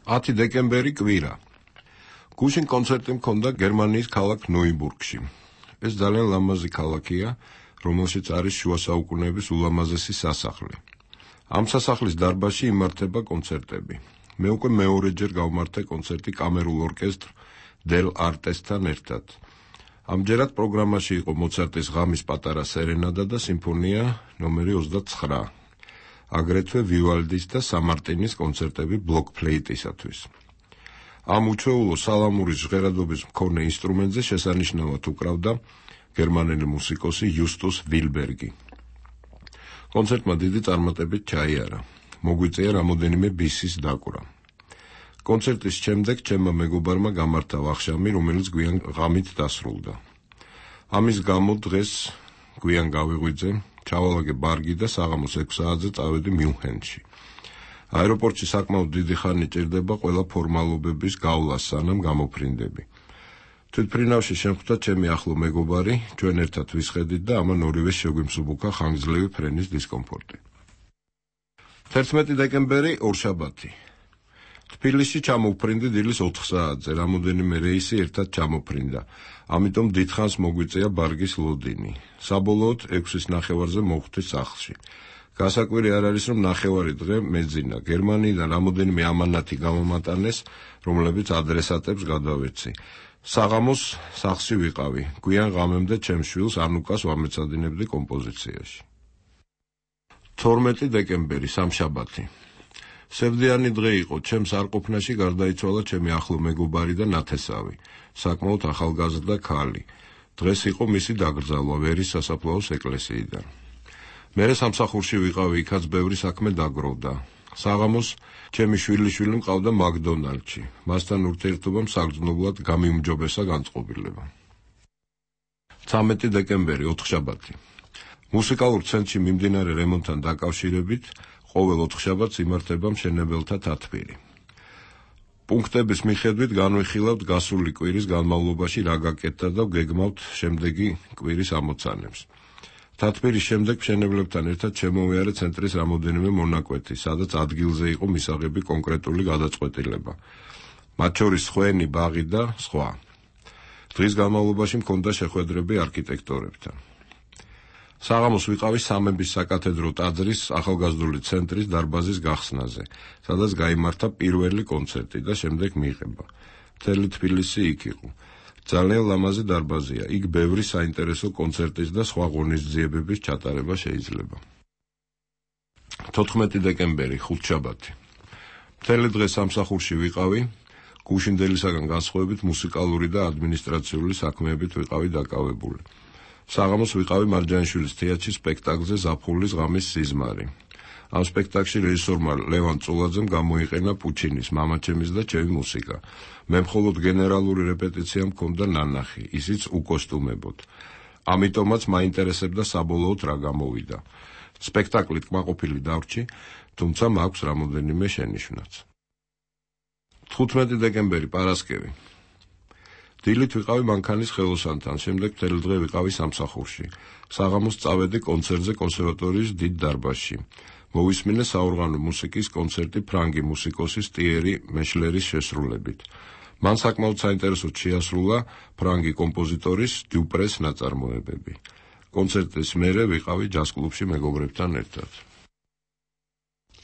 ათი დეკემბერი კვირა. გუშინ კონცერტი მქონდა გერმანიის ქალაქ ნოიბურგში. ეს ძალიან ლამაზი ქალაქია, რომელშიც არის შუა საუკუნეების ულამაზესი სასახლე. ამ სასახლის დარბაზში იმართება კონცერტები. მე უკვე მეორეჯერ გავმართე კონცერტი კამერულ ორკესტრ დელ არტესთან ერთად. ამჯერად პროგრამაში იყო მოცარტის ღამის პატარა სერენადა და სიმფონია ნომერი ოცდაცხრა. აგრეთვე ვივალდის და სამარტინის კონცერტები ბლოკფლეიტისათვის. ამ უჩვეულო სალამურის ჟღერადობის მქონე ინსტრუმენტზე შესანიშნავად უკრავდა გერმანელი მუსიკოსი იუსტუს ვილბერგი. კონცერტმა დიდი წარმატებით ჩაიარა. მოგვიწია რამოდენიმე ბისის დაკვრა. კონცერტის შემდეგ ჩემმა მეგობარმა გამართა ვახშამი, რომელიც გვიან ღამით დასრულდა. ამის გამო დღეს გვიან გავიღვიძე, ჩავალაგე ბარგი და საღამოს ექვს საათზე წავედი მიუნხენში. აეროპორტში საკმაოდ დიდი ხანი ჭირდება ყველა ფორმალობების გავლა, სანამ გამოფრინდები. თვითფრინავში შემხვდა ჩემი ახლო მეგობარი, ჩვენ ერთად ვისხედით და ამან ორივეს შეგვიმსუბუქა ხანგრძლივი ფრენის დისკომფორტი. თერთმეტი დეკემბერი ორშაბათი. თბილისში ჩამოვფრინდი დილის ოთხ საათზე, რამოდენიმე რეისი ერთად ჩამოფრინდა. ამიტომ დიდხანს მოგვიწია ბარგის ლოდინი. საბოლოოდ ექვსის ნახევარზე მოვხვდი სახლში. გასაკვირი არ არის, რომ ნახევარი დღე მეძინა. გერმანიიდან რამოდენიმე ამანათი გამომატანეს, რომლებიც ადრესატებს გადავეცი. საღამოს სახლში ვიყავი. გვიან ღამემდე ჩემს შვილს ანუკას ვამეცადინებდი კომპოზიციაში. თორმეტი დეკემბერი სამშაბათი. სევდიანი დღე იყო, ჩემს არყოფნაში გარდაიცვალა ჩემი ახლო მეგობარი და ნათესავი, საკმაოდ ახალგაზრდა ქალი. დღეს იყო მისი დაკრძალვა ვერის სასაფლაოს ეკლესიიდან. მერე სამსახურში ვიყავი, იქაც ბევრი საქმე დაგროვდა. საღამოს ჩემი შვილიშვილი მყავდა მაკდონალდში. მასთან ურთიერთობამ საგრძნობლად გამიუმჯობესა განწყობილება. ცამეტი დეკემბერი ოთხშაბათი. მუსიკალურ ცენტრში მიმდინარე რემონტთან დაკავშირებით ყოველ ოთხშაბათს იმართება მშენებელთა თათბირი. პუნქტების მიხედვით განვიხილავთ გასული კვირის განმავლობაში რა გაკეთდა და ვგეგმავთ შემდეგი კვირის ამოცანებს. თათბირის შემდეგ მშენებლებთან ერთად შემოვიარე ცენტრის რამოდენიმე მონაკვეთი, სადაც ადგილზე იყო მისაღები კონკრეტული გადაწყვეტილება. მათ შორის ხვენი, ბაღი და სხვა. დღის განმავლობაში მქონდა შეხვედრები არქიტექტორებთან. საღამოს ვიყავი სამების საკათედრო ტაძრის ახალგაზრდული ცენტრის დარბაზის გახსნაზე, სადაც გაიმართა პირველი კონცერტი და შემდეგ მიიღება. მთელი თბილისი იქ იყო. ძალიან ლამაზი დარბაზია, იქ ბევრი საინტერესო კონცერტის და სხვა ღონისძიებების ჩატარება შეიძლება. თოთხმეტი დეკემბერი ხუთშაბათი. მთელი დღე სამსახურში ვიყავი, გუშინდელისაგან განსხვავებით მუსიკალური და ადმინისტრაციული საქმეებით ვიყავი დაკავებული. საღამოს ვიყავი მარჯანიშვილის თეატრში სპექტაკლზე ზაფხულის ღამის სიზმარი. ამ სპექტაკლში რეჟისორმა ლევან წულაძემ გამოიყენა პუჩინის მამაჩემის და ჩემი მუსიკა. მე მხოლოდ გენერალური რეპეტიცია მქონდა ნანახი, ისიც უკოსტუმებოდ. ამიტომაც მაინტერესებდა საბოლოოდ რა გამოვიდა. სპექტაკლით კმაყოფილი დავრჩი, თუმცა მაქვს რამოდენიმე შენიშვნაც. თხუთმეტი დეკემბერი პარასკევი. დილით ვიყავი მანქანის ხელოსანთან, შემდეგ მთელი დღე ვიყავი სამსახურში. საღამოს წავედი კონცერტზე კონსერვატორიის დიდ დარბაზში. მოვისმინე საორღანო მუსიკის კონცერტი ფრანგი მუსიკოსის ტიერი მეშლერის შესრულებით. მან საკმაოდ საინტერესოდ შეასრულა ფრანგი კომპოზიტორის დიუპრეს ნაწარმოებები. კონცერტის მერე ვიყავი ჯაზ კლუბში მეგობრებთან ერთად.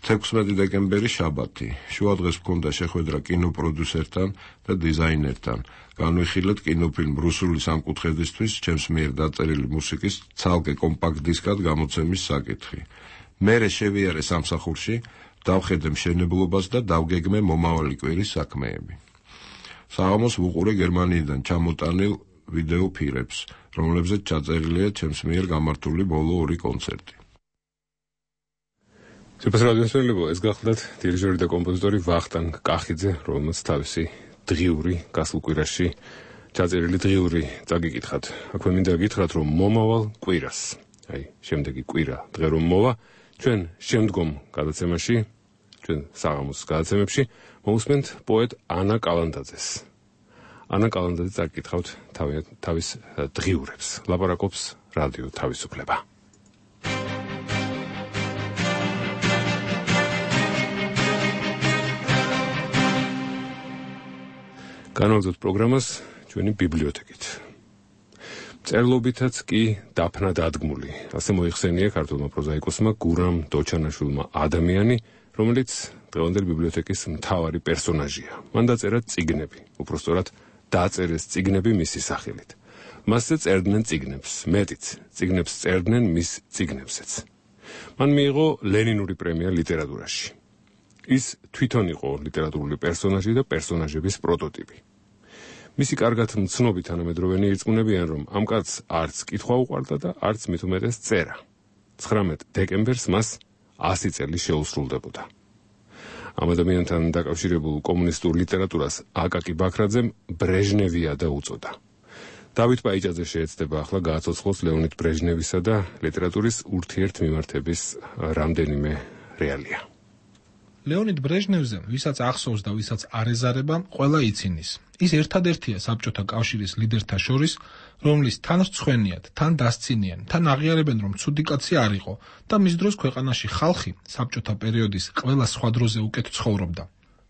თექვსმეტი დეკემბერი შაბათი. შუადღეს მქონდა შეხვედრა კინოპროდიუსერთან და დიზაინერთან. განვიხილეთ კინოფილმ რუსული სამკუთხედისთვის ჩემს მიერ დაწერილი მუსიკის ცალკე კომპაქტ დისკად გამოცემის საკითხი. მერე შევიარე სამსახურში, დავხედე მშენებლობას და დავგეგმე მომავალი კვირის საქმეები. საღამოს ვუყურე გერმანიიდან ჩამოტანილ ვიდეო ფირებს, რომლებზეც ჩაწერილია ჩემს მიერ გამართული ბოლო ორი კონცერტი. სუპერ რადიოსელებო, ეს გახლდათ დირიჟორი და კომპოზიტორი ვახტანგ კახიძე, რომელმაც თავისი დღიური გასულ კვირაში ჩაწერილი დღიური წაგიკითხათ. აქვე მინდა გითხრათ, რომ მომავალ კვირას, აი, შემდეგი კვირა დღე რომ მოვა, ჩვენ შემდგომ გადაცემაში, ჩვენ საღამოს გადაცემებში მოусმენთ პოეტ ანა კალანდაძეს. ანა კალანდაძე წაგიკითხავთ თავის დღიურებს. ლაპარაკობს რადიო თავისუფლება. განვაგრძოთ პროგრამას ჩვენი ბიბლიოთეკით. წერლობითაც კი დაფნა დადგმული. ასე მოიხსენია ქართულმა პროზაიკოსმა გურამ დოჩანაშვილმა ადამიანი, რომელიც დღევანდელი ბიბლიოთეკის მთავარი პერსონაჟია. მან დაწერა წიგნები, უпростоრად დაწერეს წიგნები მისი სახელით. მასზე წერდნენ წიგნებს, მეტიც, წიგნებს წერდნენ მის წიგნებზეც. მან მიიღო ლენინური პრემია ლიტერატურაში. ის თვითონ იყო ლიტერატურული პერსონაჟი და პერსონაჟების პროტოტიპი. მისი კარგად მცნობი თანამედროვენი ირწმუნებიან, რომ ამ კაცს არც კითხვა უყვარდა და არც მით უმეტეს წერა. ცხრამეტ დეკემბერს მას ასი წელი შეუსრულდებოდა. ამ ადამიანთან დაკავშირებულ კომუნისტურ ლიტერატურას აკაკი ბაქრაძემ ბრეჟნევია და უწოდა. დავით პაიჭაძე შეეცდება ახლა გააცოცხლოს ლეონიდ ბრეჟნევისა და ლიტერატურის ურთიერთმიმართების რამდენიმე რეალია. ლეონიდ ბრეჟნევზე, ვისაც ახსოვს და ვისაც არ ეზარება, ყველა ცინის. ის ერთადერთია საბჭოთა კავშირის ლიდერთა შორის, რომლის თან რცხვენიათ, თან დასცინიან, თან აღიარებენ, რომ ცუდი კაცი არ იყო და მის დროს ქვეყანაში ხალხი საბჭოთა პერიოდის ყველა სხვა დროზე უკეთ ცხოვრობდა.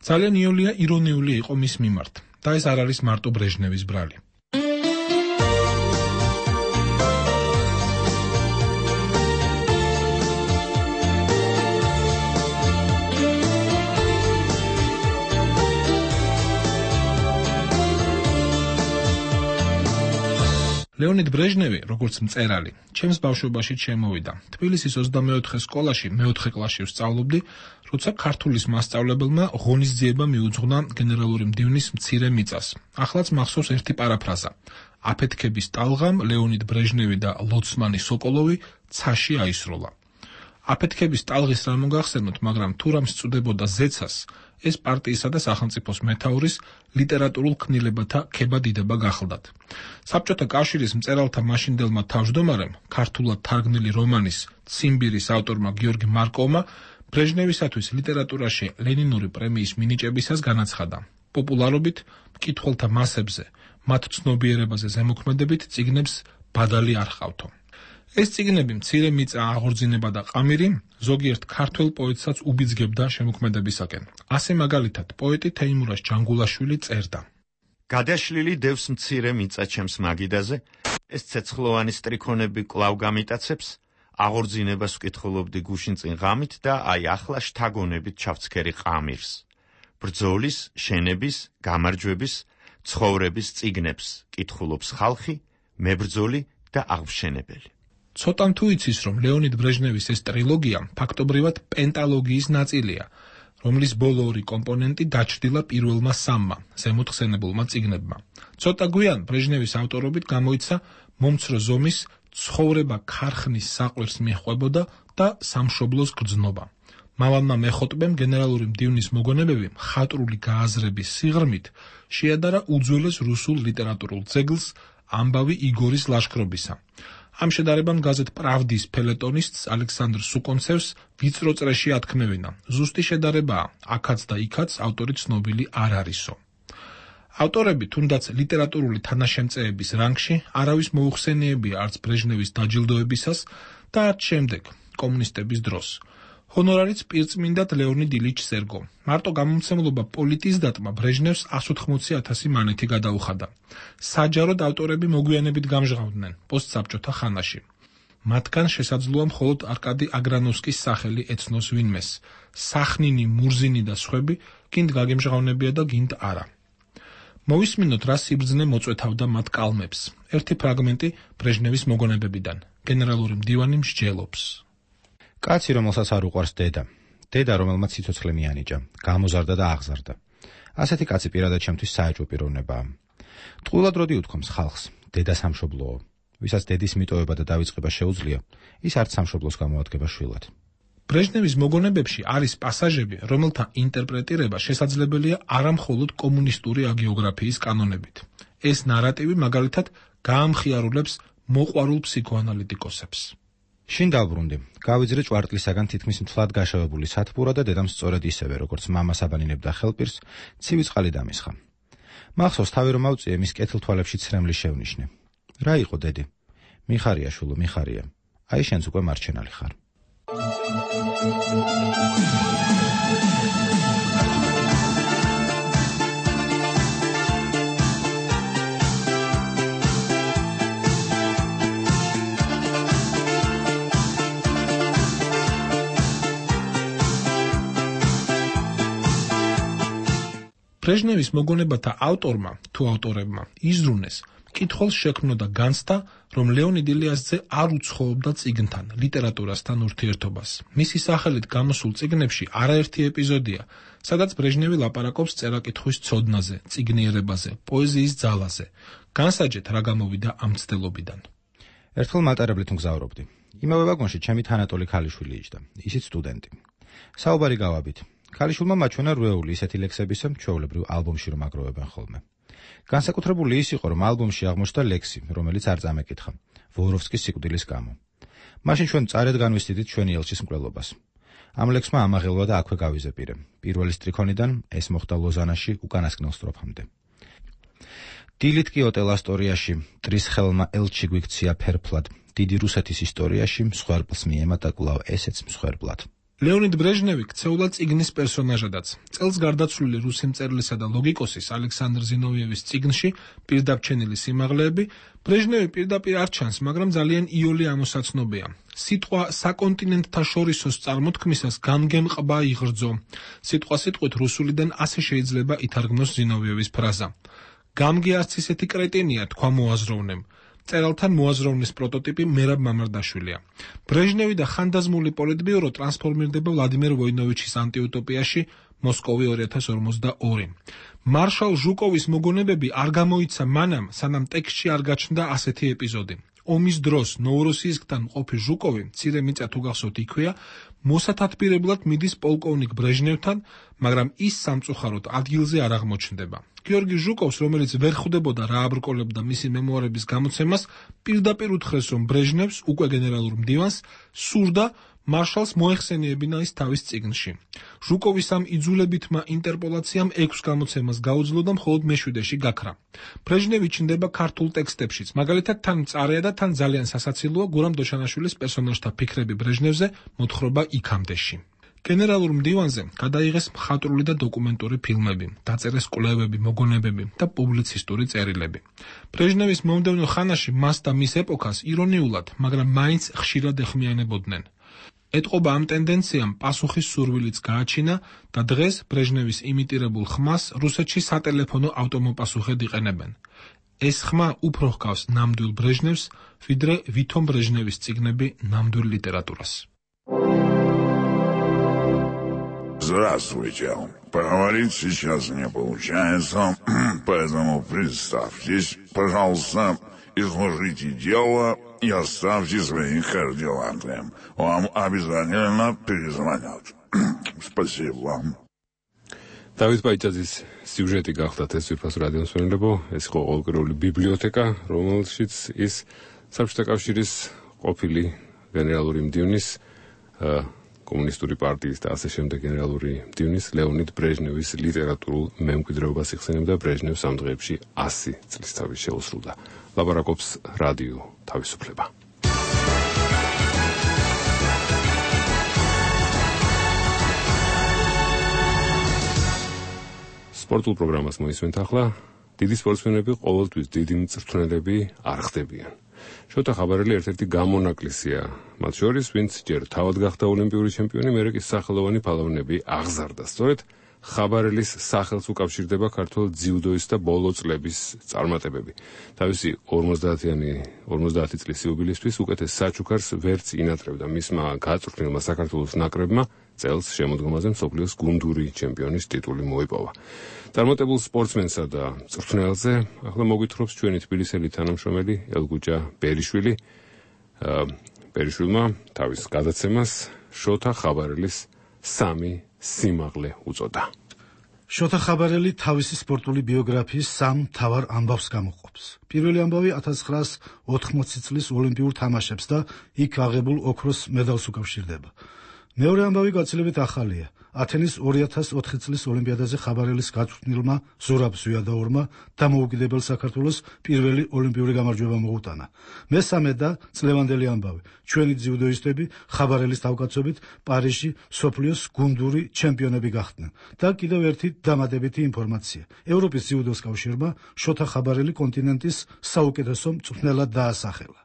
ძალიან იოლია ირონიული იყო მის მიმართ და ეს არ არის მარტო ბრეჟნევის ბრალი. ლეონიდ ბრეჟნევი, როგორც მწერალი, ჩემს ბავშვობაში შემოვიდა. თბილისის ოცდამეოთხე სკოლაში მეოთხე კლასში ვსწავლობდი, როცა ქართულის მასწავლებელმა ღონისძიება მიუძღვნა გენერალური მდივნის მცირე მიწას. ახლაც მახსოვს ერთი პარაფრაზა. აფეთქების ტალღამ ლეონიდ ბრეჟნევი და ლოცმანი სოკოლოვი ცაში აისროლა. აფეთქების ტალღის რა მოგახსენოთ, მაგრამ თუ რამ სწუდებოდა ზეცას, ეს პარტიისა და სახელმწიფოს მეთაურის ლიტერატურულ ქმნილებათა ქება-დიდება გახლდათ. საბჭოთა კავშირის მწერალთა მაშინდელმა თავმჯდომარემ, ქართულად თარგმნილი რომანის ციმბირის ავტორმა გიორგი მარკოვმა ბრეჟნევისათვის ლიტერატურაში ლენინური პრემიის მინიჭებისას განაცხადა. პოპულარობით, მკითხველთა მასებზე, მათ ცნობიერებაზე ზემოქმედებით წიგნებს ბადალი არ ჰყავთო. ეს წიგნები მცირე მიწა, აღორძინება და ყამირი ზოგიერთ ქართველ პოეტსაც უბიძგებდა შემოქმედებისაკენ. ასე მაგალითად, პოეტი თეიმურაზ ჯანგულაშვილი წერდა: გადაშლილი დევს მცირე მიწა ჩემს მაგიდაზე, ეს ცეცხლოვანი სტრიქონები კვლავ გამიტაცებს, აღორძინებას ვკითხულობდი გუშინ წინ ღამით და აი ახლა შთაგონებით ჩავცქერი ყამირს. ბრძოლის, შენების, გამარჯვების, ცხოვრების წიგნებს კითხულობს ხალხი, მებრძოლი და აღმშენებელი. ცოტამ თუ იცის, რომ ლეონიდ ბრეჟნევის ეს ტრილოგია ფაქტობრივად პენტალოგიის ნაწილია, რომლის ბოლო ორი კომპონენტი დაჩრდილა პირველმა სამმა ზემოთ ხსენებულმა წიგნებმა. ცოტა გვიან ბრეჟნევის ავტორობით გამოიცა მომცრო ზომის ცხოვრება ქარხნის საყვირს მიჰყვებოდა და სამშობლოს გრძნობა. მამალმა მეხოტბემ გენერალური მდივნის მოგონებები მხატვრული გააზრების სიღრმით შეადარა უძველეს რუსულ ლიტერატურულ ძეგლს ამბავი იგორის ლაშქრობისა. ამ შედარებამ გაზეთ პრავდის ფელეტონისტს ალექსანდრ სუკონცევს ვიწრო წრეში ათქმევინა. ზუსტი შედარებაა, აქაც და იქაც ავტორი ცნობილი არ არისო. ავტორები თუნდაც ლიტერატურული თანაშემწეების რანგში არავის მოუხსენიებია არც ბრეჟნევის დაჯილდოებისას და არც შემდეგ კომუნისტების დროს. ჰონორარიც პირწმინდად ლეონიდ ილიჩ სერგო. მარტო გამომცემლობა პოლიტიზდატმა ბრეჟნევს εκατს ოთხმოცი ათასი მანეთი გადაუხადა. საჯაროდ ავტორები მოგვიანებით გამჟღავნდნენ პოსტსაბჭოთა ხანაში. მათგან შესაძლოა მხოლოდ არკადი აგრანოვსკის სახელი ეცნოს ვინმეს. სახნინი, მურზინი და სხვები გინდ გაგემჟღავნებია და გინდ არა. მოვისმინოთ, რა სიბრძნე მოწვეთავდა მათ კალმებს. ერთი ფრაგმენტი ბრეჟნევის მოგონებებიდან. გენერალური მდივანი მსჯელობს. კაცი, რომელსაც არ უყვარს დედა. დედა, რომელმაც სიცოცხლე მიანიჭა, გამოზარდა და აღზარდა. ასეთი კაცი პირადად ჩემთვის საეჭვო პიროვნებაა. ტყუილად როდი უთქვამს ხალხს, დედა სამშობლოო. ვისაც დედის მიტოვება და დავიწყება შეუძლია, ის არც სამშობლოს გამოადგება შვილად. ბრეჟნევის მოგონებებში არის პასაჟები, რომელთა ინტერპრეტირება შესაძლებელია არამხოლოდ კომუნისტური აგიოგრაფიის კანონებით. ეს ნარატივი მაგალითად გაამხიარულებს მოყვარულ ფსიქოანალიტიკოსებს. შინ დავბრუნდი, გავიძრე ჭვარტლისაგან თითქმის მთლად გაშავებული სათბურა და დედამ სწორედ ისევე, როგორც მამას აბანინებდა ხელპირს, ცივი წყალი დამისხა. მახსოვს, თავი რომ ავწიე, მის კეთილთვალებში ცრემლი შევნიშნე. რა იყო დედი? მიხარია შულო, მიხარია. აი შენც უკვე მარჩენალი ხარ. ბრეჟნევის მოგონებათა ავტორმა თუ ავტორებმა იზრუნეს, კითხულს შექმნოდა განცდა, რომ ლეონიდ ილიასძე არ უცხოობდა წიგნთან, ლიტერატურასთან ურთიერთობას. მისი სახელით გამოსულ წიგნებში არაერთი ეპიზოდია, სადაც ბრეჟნევი ლაპარაკობს წერა-კითხვის ცოდნაზე, წიგნიერებაზე, პოეზიის ძალაზე. განსაჯეთ, რა გამოვიდა ამ მცდელობიდან. ერთხელ მატარებლით მგზავრობდი. იმავე ვაგონში ჩემი თანატოლი ქალიშვილი იჯდა, ისიც სტუდენტი. საუბარი გავაბით. ქალიშვილმა მაჩვენა რვეული ისეთი ლექსებისა, ჩვეულებრივ ალბომში რომ აგროვებენ ხოლმე. განსაკუთრებული ის იყო, რომ ალბომში აღმოჩნდა ლექსი, რომელიც არ წამეკითხა, ვოროვსკის სიკვდილის გამო. მაშინ ჩვენ წარედ განვისტიდით ჩვენი ელჩის მკვლელობას. ამ ლექსმა ამაღელვა და აქვე გავიზეპირე. პირველი სტრიქონიდან ეს მოხდა ლოზანაში უკანასკნელ სტროფამდე. დილით კი ოტელ ასტორიაში ტრის ხელმა ელჩი გვიქცია ფერფლად, დიდი რუსეთის ისტორიაში მსხვერპლს მიემატა კვლავ ესეც მსხვერპლად. ლეონიდ ბრეჟნევი ქცეულა წიგნის პერსონაჟადაც. წელს გარდაცვლილი რუსი მწერლისა და ლოგიკოსის ალექსანდრ ზინოვიევის წიგნში პირდაბრჩენილი სიმაღლეები ბრეჟნევი პირდაპირ არ ჩანს, მაგრამ ძალიან იოლი ამოსაცნობია. სიტყვა საკონტინენტთა შორისოს წარმოთქმისას გამგემყბა იღრძო. სიტყვა სიტყვით რუსულიდან ასე შეიძლება ითარგმნოს ზინოვიევის ფრაზა. გამგი არც ისეთი კრეტინია, თქვა მოაზროვნემ. წერალთან მოაზროვნის პროტოტიპი მერაბ მამარდაშვილია. ბრეჟნევი და ხანდაზმული პოლიტბიურო ტრანსფორმირდება ვლადიმერ ვოინოვიჩის ანტიუტოპიაში მოსკოვი ორი ათას ორმოცდაორი. მარშალ ჟუკოვის მოგონებები არ გამოიცა მანამ, სანამ ტექსტში არ გაჩნდა ასეთი ეპიზოდი. ომის დროს ნოვროსიისკთან მყოფი ჟუკოვი, მცირე მიწა თუ გახსოვთ იქვეა, მოსათათბირებლად მიდის პოლკოვნიკ ბრეჟნევთან, მაგრამ ის სამწუხაროდ ადგილზე არ აღმოჩნდება. გიორგი ჟუკოვს, რომელიც ვერ ხვდებოდა რა აბრკოლებდა მისი მემუარების გამოცემას, პირდაპირ უთხრეს, რომ ბრეჟნევს, უკვე გენერალურ მდივანს, სურდა მარშალს მოეხსენიებინა ის თავის წიგნში. ჟუკოვის ამ იძულებითმა ინტერპოლაციამ ექვს გამოცემას გაუძლო და მხოლოდ მეშვიდეში გაქრა. ბრეჟნევი ჩნდება ქართულ ტექსტებშიც, მაგალითად თან მწარეა და თან ძალიან სასაცილოა გურამ დოჩანაშვილის პერსონაჟთა ფიქრები ბრეჟნევზე, მოთხრობა იქამდეში. გენერალურ მდივანზე გადაიღეს მხატვრული და დოკუმენტური ფილმები, დაწერეს კვლევები, მოგონებები და პუბლიცისტური წერილები. ბრეჟნევის მომდევნო ხანაში მას და მის ეპოქას ირონიულად, მაგრამ მაინც ხშირად ეხმიანებოდნენ. ეტყობა ამ ტენდენციამ პასუხის სურვილიც გააჩინა და დღეს ბრეჟნევის იმიტირებულ ხმას რუსეთში სატელეფონო ავტომოპასუხედ იყენებენ. ეს ხმა უფრო ჰგავს ნამდვილ ბრეჟნევს, ვიდრე ვითომ ბრეჟნევის წიგნები нამდვილ литературას. Здравствуйте. Поговорить сейчас не получается, поэтому представьтесь, пожалуйста, изложите дело и оставьте свои координаты. Вам обязательно перезвонят. Спасибо вам. დავით ბაიჭაძის სიუჟეტი გახდათ ეს ვიფას რადიოს მშვენილებო, ეს იყო ყოველკვირეული ბიბლიოთეკა, რომელშიც ის საბჭოთა კავშირის ყოფილი გენერალური მდივნის კომუნისტური პარტიის და ასე შემდეგ გენერალური მდივნის ლეონიდ ბრეჟნევის ლიტერატურულ მემკვიდრეობას იხსენებდა. ბრეჟნევს ამ დღეებში ასი წლისთავი შეუსრულდა. ლაპარაკობს რადიო თავისუფლება. სპორტულ პროგრამას მოისმენთ ახლა. დიდი სპორტსმენები ყოველთვის დიდი მწვრთნელები არ ხდებიან. შოთა ხაბარელი ერთ-ერთი გამონაკლისია. მათ შორის, ვინც ჯერ თავად გახდა ოლიმპიური ჩემპიონი, მერე კი სახელოვანი ფალავნები აღზარდა. სწორედ ხაბარელის სახელს უკავშირდება ქართველ ძიუდოის და ბოლო წლების წარმატებები. თავისი ორმოცდაათიანი ორმოცდაათი წლის იუბილისთვის უკეთეს საჩუქარს ვერც ინატრევდა. მისმა გაწვრთნილმა საქართველოს ნაკრებმა წელს შემოდგომაზე მსოფლიოს გუნდური ჩემპიონის ტიტული მოიპოვა. წარმატებულ სპორტსმენსა და მწვრთნელზე ახლა მოგვითხრობს ჩვენი თბილისელი თანამშრომელი ელგუჯა ბერიშვილი. ბერიშვილმა თავის გადაცემას შოთა ხაბარელის სამი სიმაღლე უწოდა. შოთა ხაბარელი თავისი სპორტული ბიოგრაფიის სამ მთავარ ამბავს გამოყოფს. პირველი ამბავი ათას ცხრაასი ოთხმოცი წლის ოლიმპიურ თამაშებს და იქ აღებულ ოქროს მედალს უკავშირდება. მეორე ამბავი გაცილებით ახალია. ათენის ორი ათას ოთხი წლის ოლიმპიადაზე ხაბარელის გაწვრთნილმა ზურაბ ზვიადაურმა დამოუკიდებელ საქართველოს პირველი ოლიმპიური გამარჯვება მოუტანა. მესამე და წლევანდელი ამბავი. ჩვენი ძიუდოისტები ხაბარელის თავკაცობით პარიზში მსოფლიოს გუნდური ჩემპიონები გახდნენ. და კიდევ ერთი დამატებითი ინფორმაცია. ევროპის ძიუდოს კავშირმა შოთა ხაბარელი კონტინენტის საუკეთესო მწვრთნელად დაასახელა.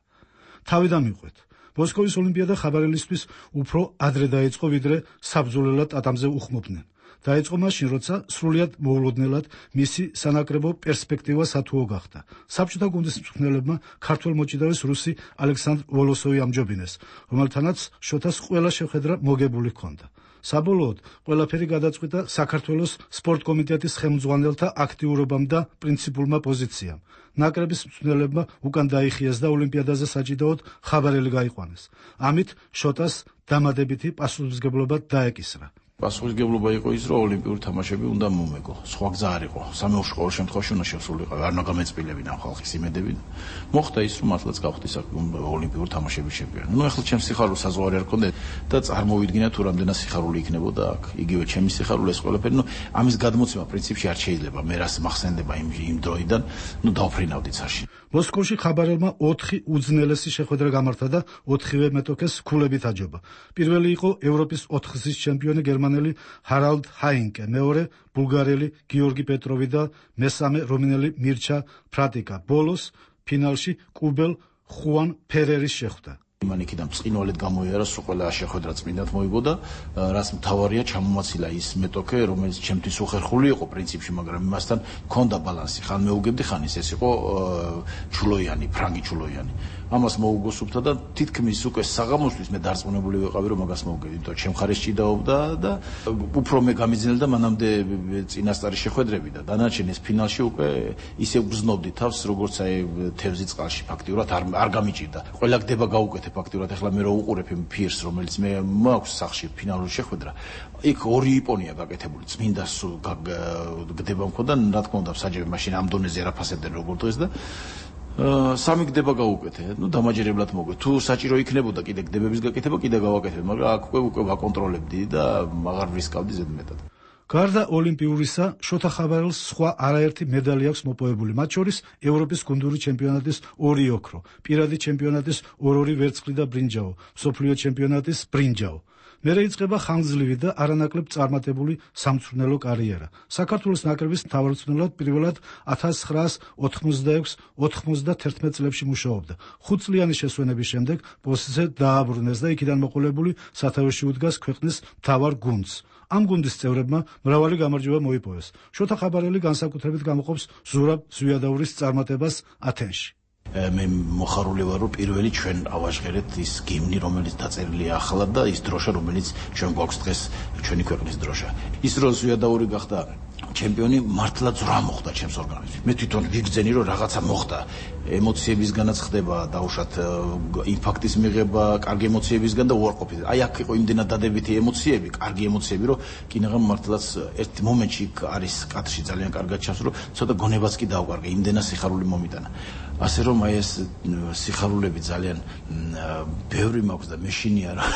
თავი დამიყვეთ. მოსკოვის ოლიმპიადა ხაბარელისთვის უფრო ადრე დაიწყო, ვიდრე საბრძოლველად ტატამზე უხმობდნენ. დაიწყო მაშინ, როცა სრულიად მოულოდნელად მისი სანაკრებო პერსპექტივა სათუო გახდა. საბჭოთა გუნდის მწვრთნელებმა ქართველ მოჭიდავეს რუსი ალექსანდრ ვოლოსოვი ამჯობინეს, რომელთანაც შოთას ყველა შეხვედრა მოგებული ჰქონდა. საბოლოოდ ყველაფერი გადაწყვიტა საქართველოს სპორტ კომიტეტის ხელმძღვანელთა აქტიურობამ და პრინციპულმა პოზიციამ. ნაკრების მწვრთნელებმა უკან დაიხიეს და ოლიმპიადაზე საჭიდაოდ ხაბარელი გაიყვანეს. ამით შოტას დამადებითი პასუხისმგებლობა დაეკისრა. პასუხისმგებლობა იყო ის, რომ ოლიმპიური თამაშები უნდა მომეგო. სხვა გზა არ იყო. სამეურში ყოველ შემთხვევაში უნდა შესულიყო. არ უნდა გამეწბილებინა ხალხის იმედები. მოხდა ის, რომ მართლაც გავხდი ოლიმპიური თამაშების ჩემპიონი. ნუ ახლა ჩემს სიხარულს საზღვარი არ ქონდა და წარმოვიდგინა თუ რამდენად სიხარული იქნებოდა აქ. იგივე ჩემი სიხარული ეს ყველაფერი, ნუ ამის გადმოცემა პრინციპში არ შეიძლება. მე რას მახსენდება იმ იმ დროიდან, ნუ დავფრინავდი ცაში. მოსკოვში ხაბარელმა ოთხი უძნელესი შეხვედრა გამართა და ოთხივე მეტოქეს ქულებით აჯობა. პირველი იყო ევროპის ოთხგზის ჩემპიონი გერმანელი ჰარალდ ჰაინკე, მეორე ბულგარელი გიორგი პეტროვი და მესამე რომინელი მირჩა ფრატიკა. ბოლოს ფინალში კუბელ ხუან ფერერის შეხვდა. მან იქიდან წინვალეთ გამოიარა, სულ ყველა შეხვედრა წმინდად მოიგო, რაც მთავარია ჩამომაცილა ის მეტოქე, რომელიც ჩემთვის უხერხული იყო პრინციპში, მაგრამ იმასთან ჰქონდა ბალანსი. ხან მეუგებდი, ხან ის ეს იყო ჩულოიანი, ფრანგი ჩულოიანი. ამას მოუგოსუფთა და თითქმის უკვე საღამოსთვის მე დარწმუნებული ვიყავი, რომ მაგას მოვუგებდი, იმიტომ ჩემ მხარეს ჭიდაობდა და უფრო მე გამიძნელდა მანამდე წინასწარი შეხვედრები და დანარჩენის ფინალში უკვე ისე გრძნობდი თავს, როგორც აი თევზი წყალში ფაქტიურად არ არ გამიჭირდა. ყველა გდება გაუკეთე ფაქტიურად. ახლა მე რო უყურებ იმ ფირს, რომელიც მე მაქვს სახში ფინალური შეხვედრა, იქ ორი იპონია გაკეთებული, წმინდა გდება მქონდა, რა თქმა უნდა, საჯები მაშინ ამ დონეზე არაფასებდნენ როგორ დღეს და სამი გდება გაუკეთე. ნუ დამაჯერებლად მოგვე. თუ საჭირო იქნებოდა კიდე გდებების გაკეთება, კიდე გავაკეთებ, მაგრამ აქ უკვე უკვე ვაკონტროლებდი და აღარ ვისკავდი ზედმეტად. გარდა ოლიმპიურისა, შოთა ხაბარელს სხვა არაერთი მედალი აქვს მოპოვებული, მათ შორის ევროპის გუნდური ჩემპიონატის ორი ოქრო, პირადი ჩემპიონატის ორ-ორი ვერცხლი და ბრინჯაო, მსოფლიო ჩემპიონატის ბრინჯაო. მერე იწყება ხანგრძლივი და არანაკლებ წარმატებული სამწვრთნელო კარიერა. საქართველოს ნაკრების მთავარმწვრთნელად პირველად ათას ცხრაასი ოთხმოცდაექვსი ოთხმოცდათერთმეტ წლებში მუშაობდა. ხუთწლიანი შესვენების შემდეგ პოსტზე დააბრუნეს და იქიდან მოყოლებული სათავეში უდგას ქვეყნის მთავარ გუნდს. ამ გუნდის წევრებმა მრავალი გამარჯვება მოიპოვეს. შოთა ხაბარელი განსაკუთრებით გამოყოფს ზურაბ ზვიადაურის წარმატებას ათენში. მე მოხარული ვარ, რომ პირველი ჩვენ ავაჟღერეთ ის გიმნი, რომელიც დაწერილია ახლა და ის დროშა, რომელიც ჩვენ გვაქვს დღეს ჩვენი ქვეყნის დროშა. ის რომ ზვიადაური გახდა ჩემპიონი მართლა ძრა მოხდა ჩემს ორგანიზმში. მე თვითონ ვიგრძენი რომ რაღაცა მოხდა. ემოციებისგანაც ხდება დაუშვათ იმპაქტის მიღება, კარგი ემოციებისგან და უარყოფით. აი აქ იყო იმდენად დადებითი ემოციები, კარგი ემოციები, რომ კინაღამ მართლაც ერთ მომენტში არის კადრში ძალიან კარგად ჩანს, რომ ცოტა გონებაც კი დაუკარგა, იმდენად სიხარული მომიტანა. ასე რომ აი ეს სიხარულები ძალიან ბევრი მაქვს და მეშინია რა.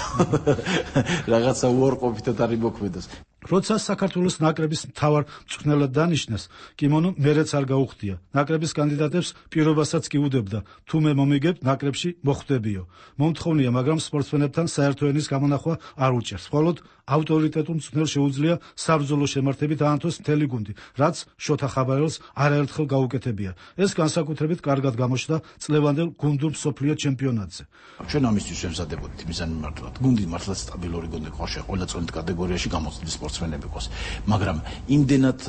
რაღაცა უარყოფითად არის მოქმედოს. როცა საქართველოს ნაკრების მთავარ მწვრთნელად დანიშნეს, კიმონო მერეც არ გაუხდია. ნაკრების კანდიდატებს პირობასაც კი უდებდა, თუ მე მომიგებ ნაკრებში მოხვდებიო. მომთხოვნია, მაგრამ სპორტსმენებთან საერთო ენის გამონახვა არ უჭერს. მხოლოდ ავტორიტეტულ მწვრთნელს შეუძლია საბრძოლო შემართებით აანთოს მთელი გუნდი, რაც შოთა ხაბარელს არაერთხელ გაუკეთებია. ეს განსაკუთრებით კარგად გამოჩნდა წლევანდელ გუნდურ მსოფლიო ჩემპიონატზე. ჩვენ ამისთვის ვემზადებოდით მიზანი მართლად. გუნდი მართლაც სტაბილური გუნდი ყავშე, ყველა წონით კატეგორიაში გამოცდილი სპორტსმენები ყავს. მაგრამ იმდენად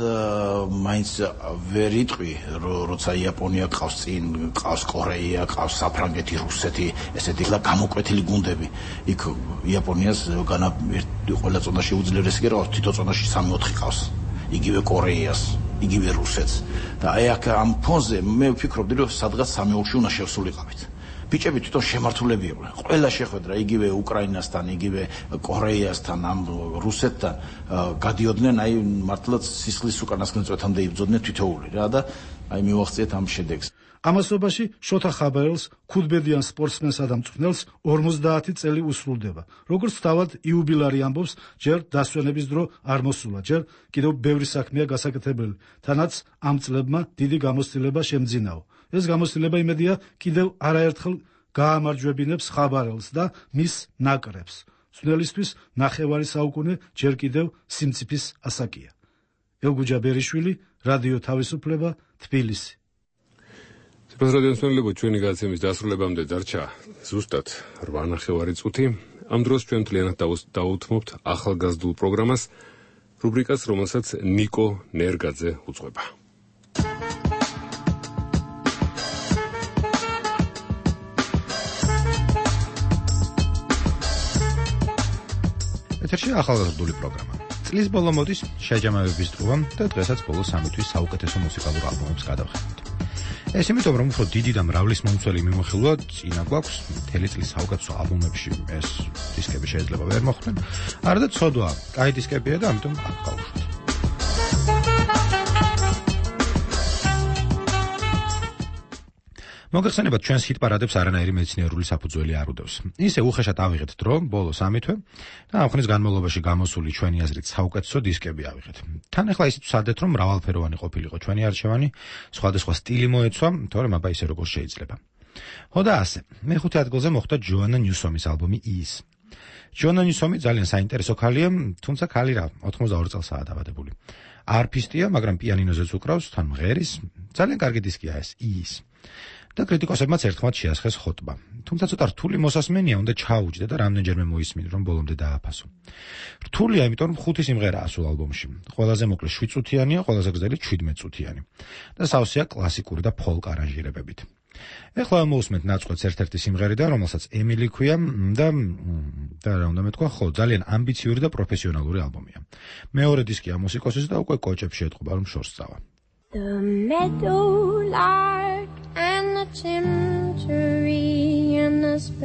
მაინც ვერ იტყვი, როცა იაპონია ყავს წინ, ყავს კორეა, ყავს საფრანგეთი, რუსეთი, ესეთი და გამოკვეთილი გუნდები. იქ იაპონიას განა ყველა წონაში უძლიერესი კი რა, თითო წონაში სამი ოთხი ყავს. იგივე კორეას, იგივე რუსეთს. და აი აქ ამ ფონზე მე ვფიქრობდი, რომ სადღაც სამი ოთხი უნდა შევსულიყავით. ბიჭები თვითონ შემართულები იყვნენ. ყველა შეხვედრა იგივე უკრაინასთან, იგივე კორეასთან, ამ რუსეთთან გადიოდნენ, აი მართლაც სისხლის უკანასკნელ წვეთამდე იბრძოდნენ თითოეული რა და აი მივახციეთ ამ შედეგს. ამასობაში შოთა ხაბარელს ქუდბედიან სპორტსმენსა და მწვრთნელს ორმოცდაათი წელი უსრულდება. როგორც თავად იუბილარი ამბობს, ჯერ დასვენების დრო არ მოსულა, ჯერ კიდევ ბევრი საქმეა გასაკეთებელი, თანაც ამ წლებმა დიდი გამოცდილება შემძინაო. ეს გამოცდილება იმედია კიდევ არაერთხელ გაამარჯვებინებს ხაბარელს და მის ნაკრებს. მწვრთნელისთვის ნახევარი საუკუნე ჯერ კიდევ სიმწიფის ასაკია. ელგუჯა ბერიშვილი, რადიო თავისუფლება, თბილისი. სიყვარული რადიოსმენელებო, ჩვენი გადაცემის დასრულებამდე დარჩა ზუსტად რვა ნახევარი წუთი. ამ დროს ჩვენ მთლიანად დავუთმობთ ახალგაზრდულ პროგრამას, რუბრიკას, რომელსაც ნიკო ნერგაძე უძღვება. ეთერში ახალგაზრდული პროგრამა. წლის ბოლო მოდის შეჯამებების დღეა და დღესაც ბოლო სამი თვის საუკეთესო მუსიკალურ ალბომებს გადავხედავთ. ეს იმიტომ, რომ უფრო დიდი და მრავლის მომცველი მიმოხილვა წინა გვაქვს, მთელი წლის საუკეთესო ალბომებში ეს დისკები შეიძლება ვერ მოხვდნენ. არადა ცოდვა, კაი დისკებია და ამიტომ აქ გავუშვით. მოგეხსენებათ, ჩვენს ჰიტ პარადებს არანაირი მეცნიერული საფუძველი არ უდევს. ისე უხეშად ავიღეთ დრო, ბოლო სამი თვე და ამ ხნის განმავლობაში გამოსული ჩვენი აზრით საუკეთესო დისკები ავიღეთ. თან ახლა ისიც ვსადეთ, რომ მრავალფეროვანი ყოფილიყო ჩვენი არჩევანი, სხვადასხვა სტილი მოეცვა, თორემ აბა ისე როგორ შეიძლება. ხო და ასე, მეხუთე ადგილზე მოხვდა ჯოანა ნიუსომის ალბომი ის. ჯოანა ნიუსომი ძალიან საინტერესო ქალია, თუმცა ქალი რა, ოთხმოცდაორი წელსაა დაბადებული. არფისტია, მაგრამ პიანინოზეც უკრავს, თან მღერის, ძალიან კარგი დისკია ეს ის. და კრიტიკოსებმაც ერთხმად შეასხეს ხოტბა. თუმცა ცოტა რთული მოსასმენია, უნდა ჩაუჯდა და რამდენჯერმე მოისმინე, რომ ბოლომდე დააფასო. რთულია, იმიტომ რომ ხუთი სიმღერაა სულ ალბომში. ყველაზე მოკლე შვიდ წუთიანია, ყველაზე გრძელი შვიდმეტ წუთიანი. და სავსეა კლასიკური და ფოლკ არანჟირებებით. ეხლა მოусმენთ ნაწყვეტს ერთ-ერთი სიმღერიდან, რომელსაც ემილი ქვია და და რა უნდა მეთქვა, ხო, ძალიან ამბიციური და პროფესიონალური ალბომია. მეორე დისკია მუსიკოსის და უკვე კოჭებში ეთყობა, რომ შორს წავა. The meadowlark and the chimchuree and the sparrow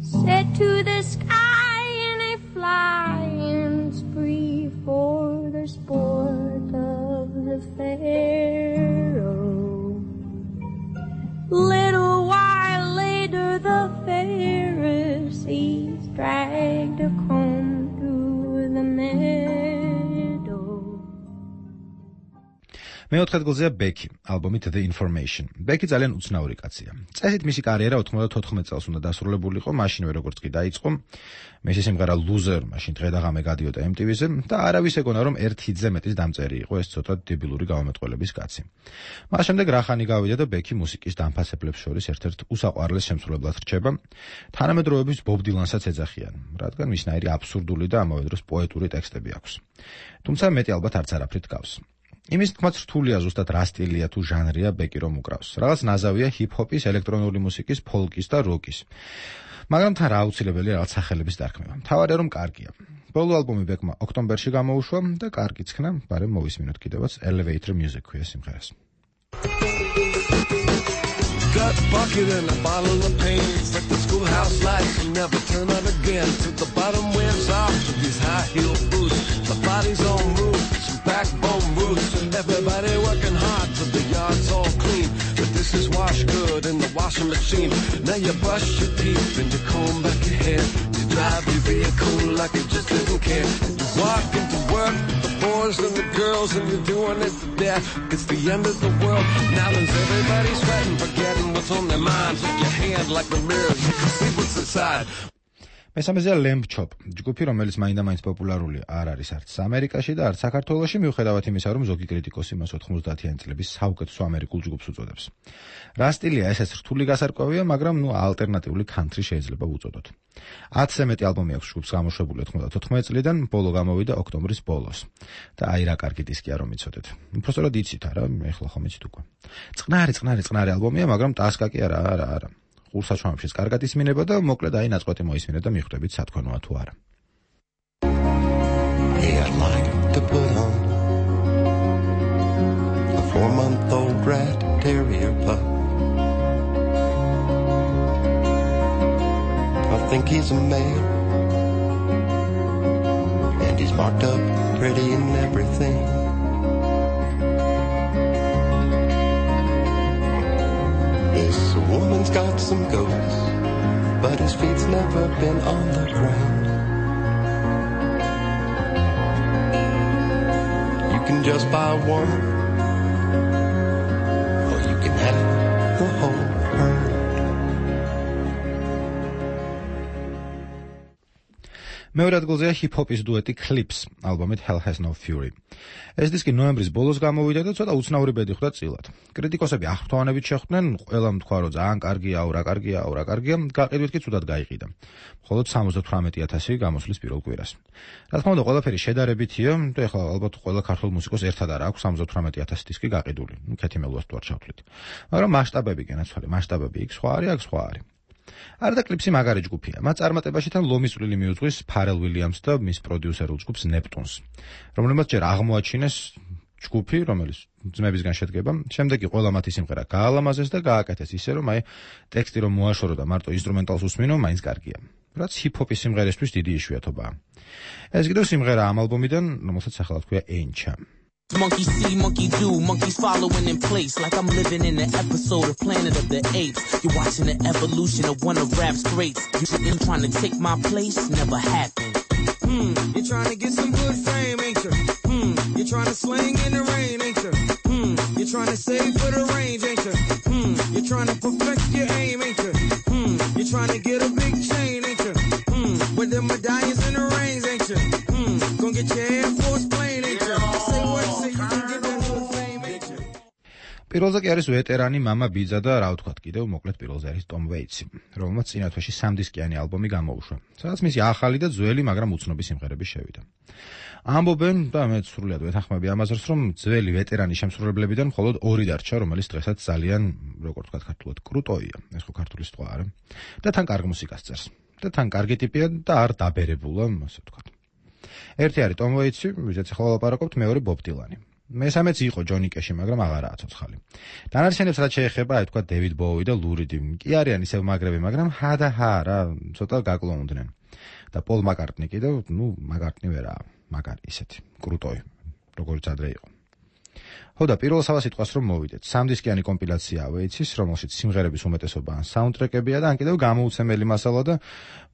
said to the sky in a flying spree for the sport of the pharaoh. Little while later the Pharisees dragged a comb the meadow. მეოთხე ადგილზეა ბექი, ალბომით The Information. ბექი ძალიან უცნაური კაცია. წესით მისი კარიერა ოთხმოცდათოთხმეტ წელს უნდა დასრულებულიყო, მაშინვე როგორც კი დაიწყო. მისი სიმღერა Loser, მაშინ დღე და ღამე გადიოდა em ti vi-ზე და არავის ეგონა, რომ ერთ ჰიტზე მეტის დამწერი იყო ეს ცოტა დებილური გამომეტყველების კაცი. მას შემდეგ რახანი გავიდა და ბექი მუსიკის დამფასებლებს შორის ერთ-ერთ უსაყვარლეს შემსრულებლად რჩება. თანამედროვეების ბობ დილანსაც ეძახიან, რადგან მისნაირი აბსურდული და ამავე დროს პოეტური ტექსტები აქვს. თუმცა მეტი ალბათ არც არაფრით გავს. იმის თქმაც რთულია ზუსტად რა სტილია თუ ჟანრია ბეკი რომ უკრავს. რაღაც ნაზავია ჰიპ-ჰოპის, ელექტრონული მუსიკის, ფოლკის და როკის. მაგრამ თან რა აუცილებელია რაღაც სახელების დარქმევა. მთავარია რომ კარგია. ბოლო ალბომი ბეკმა ოქტომბერში გამოუშვა და კარგიც ხნა, მაგრამ მოვისმინოთ კიდევაც Elevator Music ქვია სიმღერას. Gut bucket and a bottle of pain. Like the schoolhouse lights will never turn on again. To the bottom wears off with these high heel boots. The body's on move, some backbone roots. Everybody working hard till the yard's all clean. But this is wash good in the washing machine. Now you brush your teeth and you comb back your hair. You drive your vehicle like you just didn't care. You walk into work, the boys and the girls, and you're doing it to death. It's the end of the world. Now there's everybody sweating, forgetting what's on their minds. With your hand like the mirror, you can see what's inside. მესამეზეა Lamb Chop, ჯგუფი, რომელიც მაინდა-მაინც პოპულარული არ არის არც ამერიკაში და არც საქართველოში, მიუხედავად იმისა, რომ ზოგი კრიტიკოსი მას ოთხმოცდაათიანი წლების საუკეთესო ამერიკულ ჯგუფს უწოდებს. რა სტილია, ესეც რთული გასარკვევია, მაგრამ ნუ ალტერნატიული country შეიძლება უწოდოთ. ათზე მეტი ალბომი აქვს ჯგუფს გამოშვებული ოთხმოცდათოთხმეტი წლიდან, ბოლო გამოვიდა ოქტომბრის ბოლოს. და აი რა კარგი დისკია რომ იცოდეთ. უბრალოდ იცით არა, ეხლა ხომ იცით უკვე. წყნარი, წყნარი, წყნარი ალბომია, მაგრამ ტასკა კი არა, არა, არა. ურსაჩვენებშიც კარგად ისმინება და მოკლედ აი ნაწყვეტი მოისმინეთ და მიხვდებით სათქონოა თუ არა. Hey, I'd like to put on a four-month-old rat terrier pup. I think he's a male, and he's marked up pretty and everything. This woman's got some ghosts, but his feet's never been on the ground. You can just buy one, or you can have the whole herd. მეორე ადგილზეა ჰიპ-ჰოპის დუეტი Clips ალბომით Hell Has No Fury. ეს დისკი ნოემბრის ბოლოს გამოვიდა და ცოტა უცნაური ბედი ხვდა წილად. კრიტიკოსები აღფრთოვანებით შეხვდნენ, ყველამ თქვა, რომ ძალიან კარგია, რა კარგია, რა კარგია, გაყიდვით კი ცუდად გაიყიდა. მხოლოდ სამოცდათვრამეტი ათასი გამოსვლის პირველ კვირას. რა თქმა უნდა, ყველაფერი შედარებითია და ეხლა ალბათ ყველა ქართულ მუსიკოს ერთად არ აქვს სამოცდათვრამეტი ათასი დისკი გაყიდული. ნუ ქეთიმელუას თუ არ ჩავთვლით. მაგრამ მასშტაბები განაცვალე, მასშტაბები იქ სხვა არის, აქ სხვა არის. არა და Clipsი მაგარი ჯგუფია. მათ წარმატებაში თან ლომის წვლილი მიუძღვის Pharrell Williams და მის პროდიუსერულ ჯგუფს Neptunes, რომელმაც ჯერ აღმოაჩინეს ჯგუფი, რომელიც ძმებისგან შედგება, შემდეგ კი ყველა მათი სიმღერა გაალამაზეს და გააკეთეს ისე, რომ აი ტექსტი რომ მოაშორო და მარტო ინსტრუმენტალს უსმინო, მაინც კარგია. რაც ჰიპ-ჰოპის სიმღერისთვის დიდი იშვიათობაა. ეს კიდევ სიმღერა ამ ალბომიდან, რომელსაც სახელად ჰქვია Encha. Monkey see, monkey do, monkeys following in place like I'm living in an episode of Planet of the Apes. You're watching the evolution of one of rap's greats. You been trying to take my place, never happened. Hmm, you're trying to get some good fame, ain't you? Hmm, you're trying to swing in the rain, ain't you? Hmm, you're trying to save for the range, ain't you? Hmm, you're trying to perfect your aim, ain't you? Hmm, you're trying to get a big chain, ain't you? Hmm, with the medallions and the rings, ain't you? Hmm, gonna get your Air Force plane, ain't you? Say what, say you can get that good fame, ain't you? პირველზე კი არის ვეტერანი მამა ბიძა და რა ვთქვათ კიდევ მოკლედ პირველზე არის Tom Waits, რომელმაც წინა თვეში სამდისკიანი ალბომი გამოუშვა, სადაც მისი ახალი და ძველი, მაგრამ უცნობი სიმღერები შევიდა. ამბობენ და მე სრულად ვეთანხმები ამაზრს, რომ ძველი ვეტერანი შემსრულებლებიდან მხოლოდ ორი დარჩა, რომელიც დღესაც ძალიან, როგორ ვთქვათ ქართულად, კრუტოია, ეს ხო ქართული სიტყვა არა, და თან კარგ მუსიკას წერს. და თან კარგი ტიპია და არ დაბერებულა, ასე ვთქვათ. ერთი არის Tom Waits-ი, ვისაც ახლა ვლაპარაკობთ, მეორე Bob Dylan-ი. მესამეც იყო Johnny Cash-ი, მაგრამ აღარაა ცოცხალი. დანარჩენებს რაც შეეხება, აი თქვა David Bowie და Lou Reed, კი არიან ისევ მაგრები, მაგრამ ჰა და ჰა რა, ცოტა გაკლოუნდნენ. და Paul McCartney კიდევ, ნუ McCartney ვერაა, მაგარი ისეთი, კრუტოი, როგორც ადრე იყო. ხო და პირველ სავასიტყვას რომ მოვიდეთ, სამდისკიანი კომპილაციაა Waits-ის, რომელშიც სიმღერების უმეტესობა ან საუნდტრეკებია და ან კიდევ გამოუცემელი მასალა და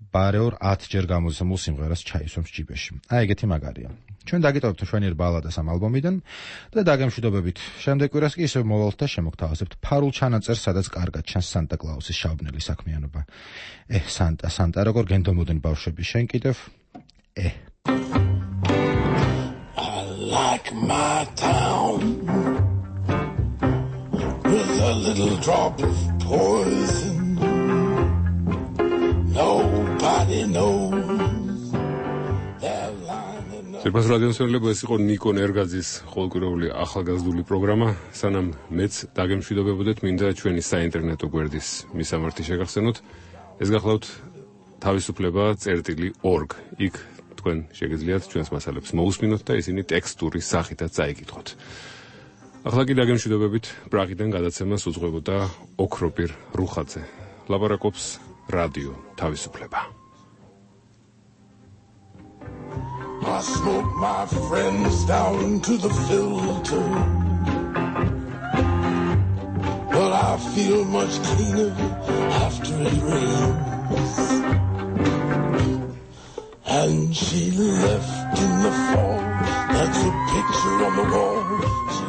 ბარეორ ათჯერ გამოცემულ სიმღერას ჩაისვამს ჯიბეში. აი ეგეთი მაგარია. ჩვენ დაგიტოვებთ შვენიერ ბალადას ამ ალბომიდან და დაგემშვიდობებით. შემდეგ კვირას კი ისევ მოვალთ და შემოგთავაზებთ ფარულ ჩანაწერს, სადაც კარგად ჩანს Santa Claus-ის შავბნელი საქმიანობა. ე, Santa, Santa, როგორ გენდომოდნენ ბავშვები, შენ კიდევ? ე. Like my town with a little drop of poison. Nobody knows they're lining up. Ზეპას რადიოსმენელები, ეს იყო ნიკო ნერგაძის ყოველკვირეული ახალგაზრდული პროგრამა. სანამ მეც დაგემშვიდობებოდეთ, მინდა ჩვენი საინტერნეტო გვერდის მისამართი შეგახსენოთ. ეს გახლავთ თავისუფლება წერტილი ორგ. იქ თქვენ შეგიძლიათ ჩვენს მასალებს მოусმინოთ და ისინი ტექსტური სახითაც წაიკითხოთ. ახლა კი დაგემშვიდობებით, პრაღიდან გადაცემას უძღვებოდა ოქროპირ რუხაძე. ლაპარაკობს რადიო თავისუფლება. I smoke my friends down to the filter, but I feel much cleaner after it rains. And she left in the fall, that's a picture on the wall. She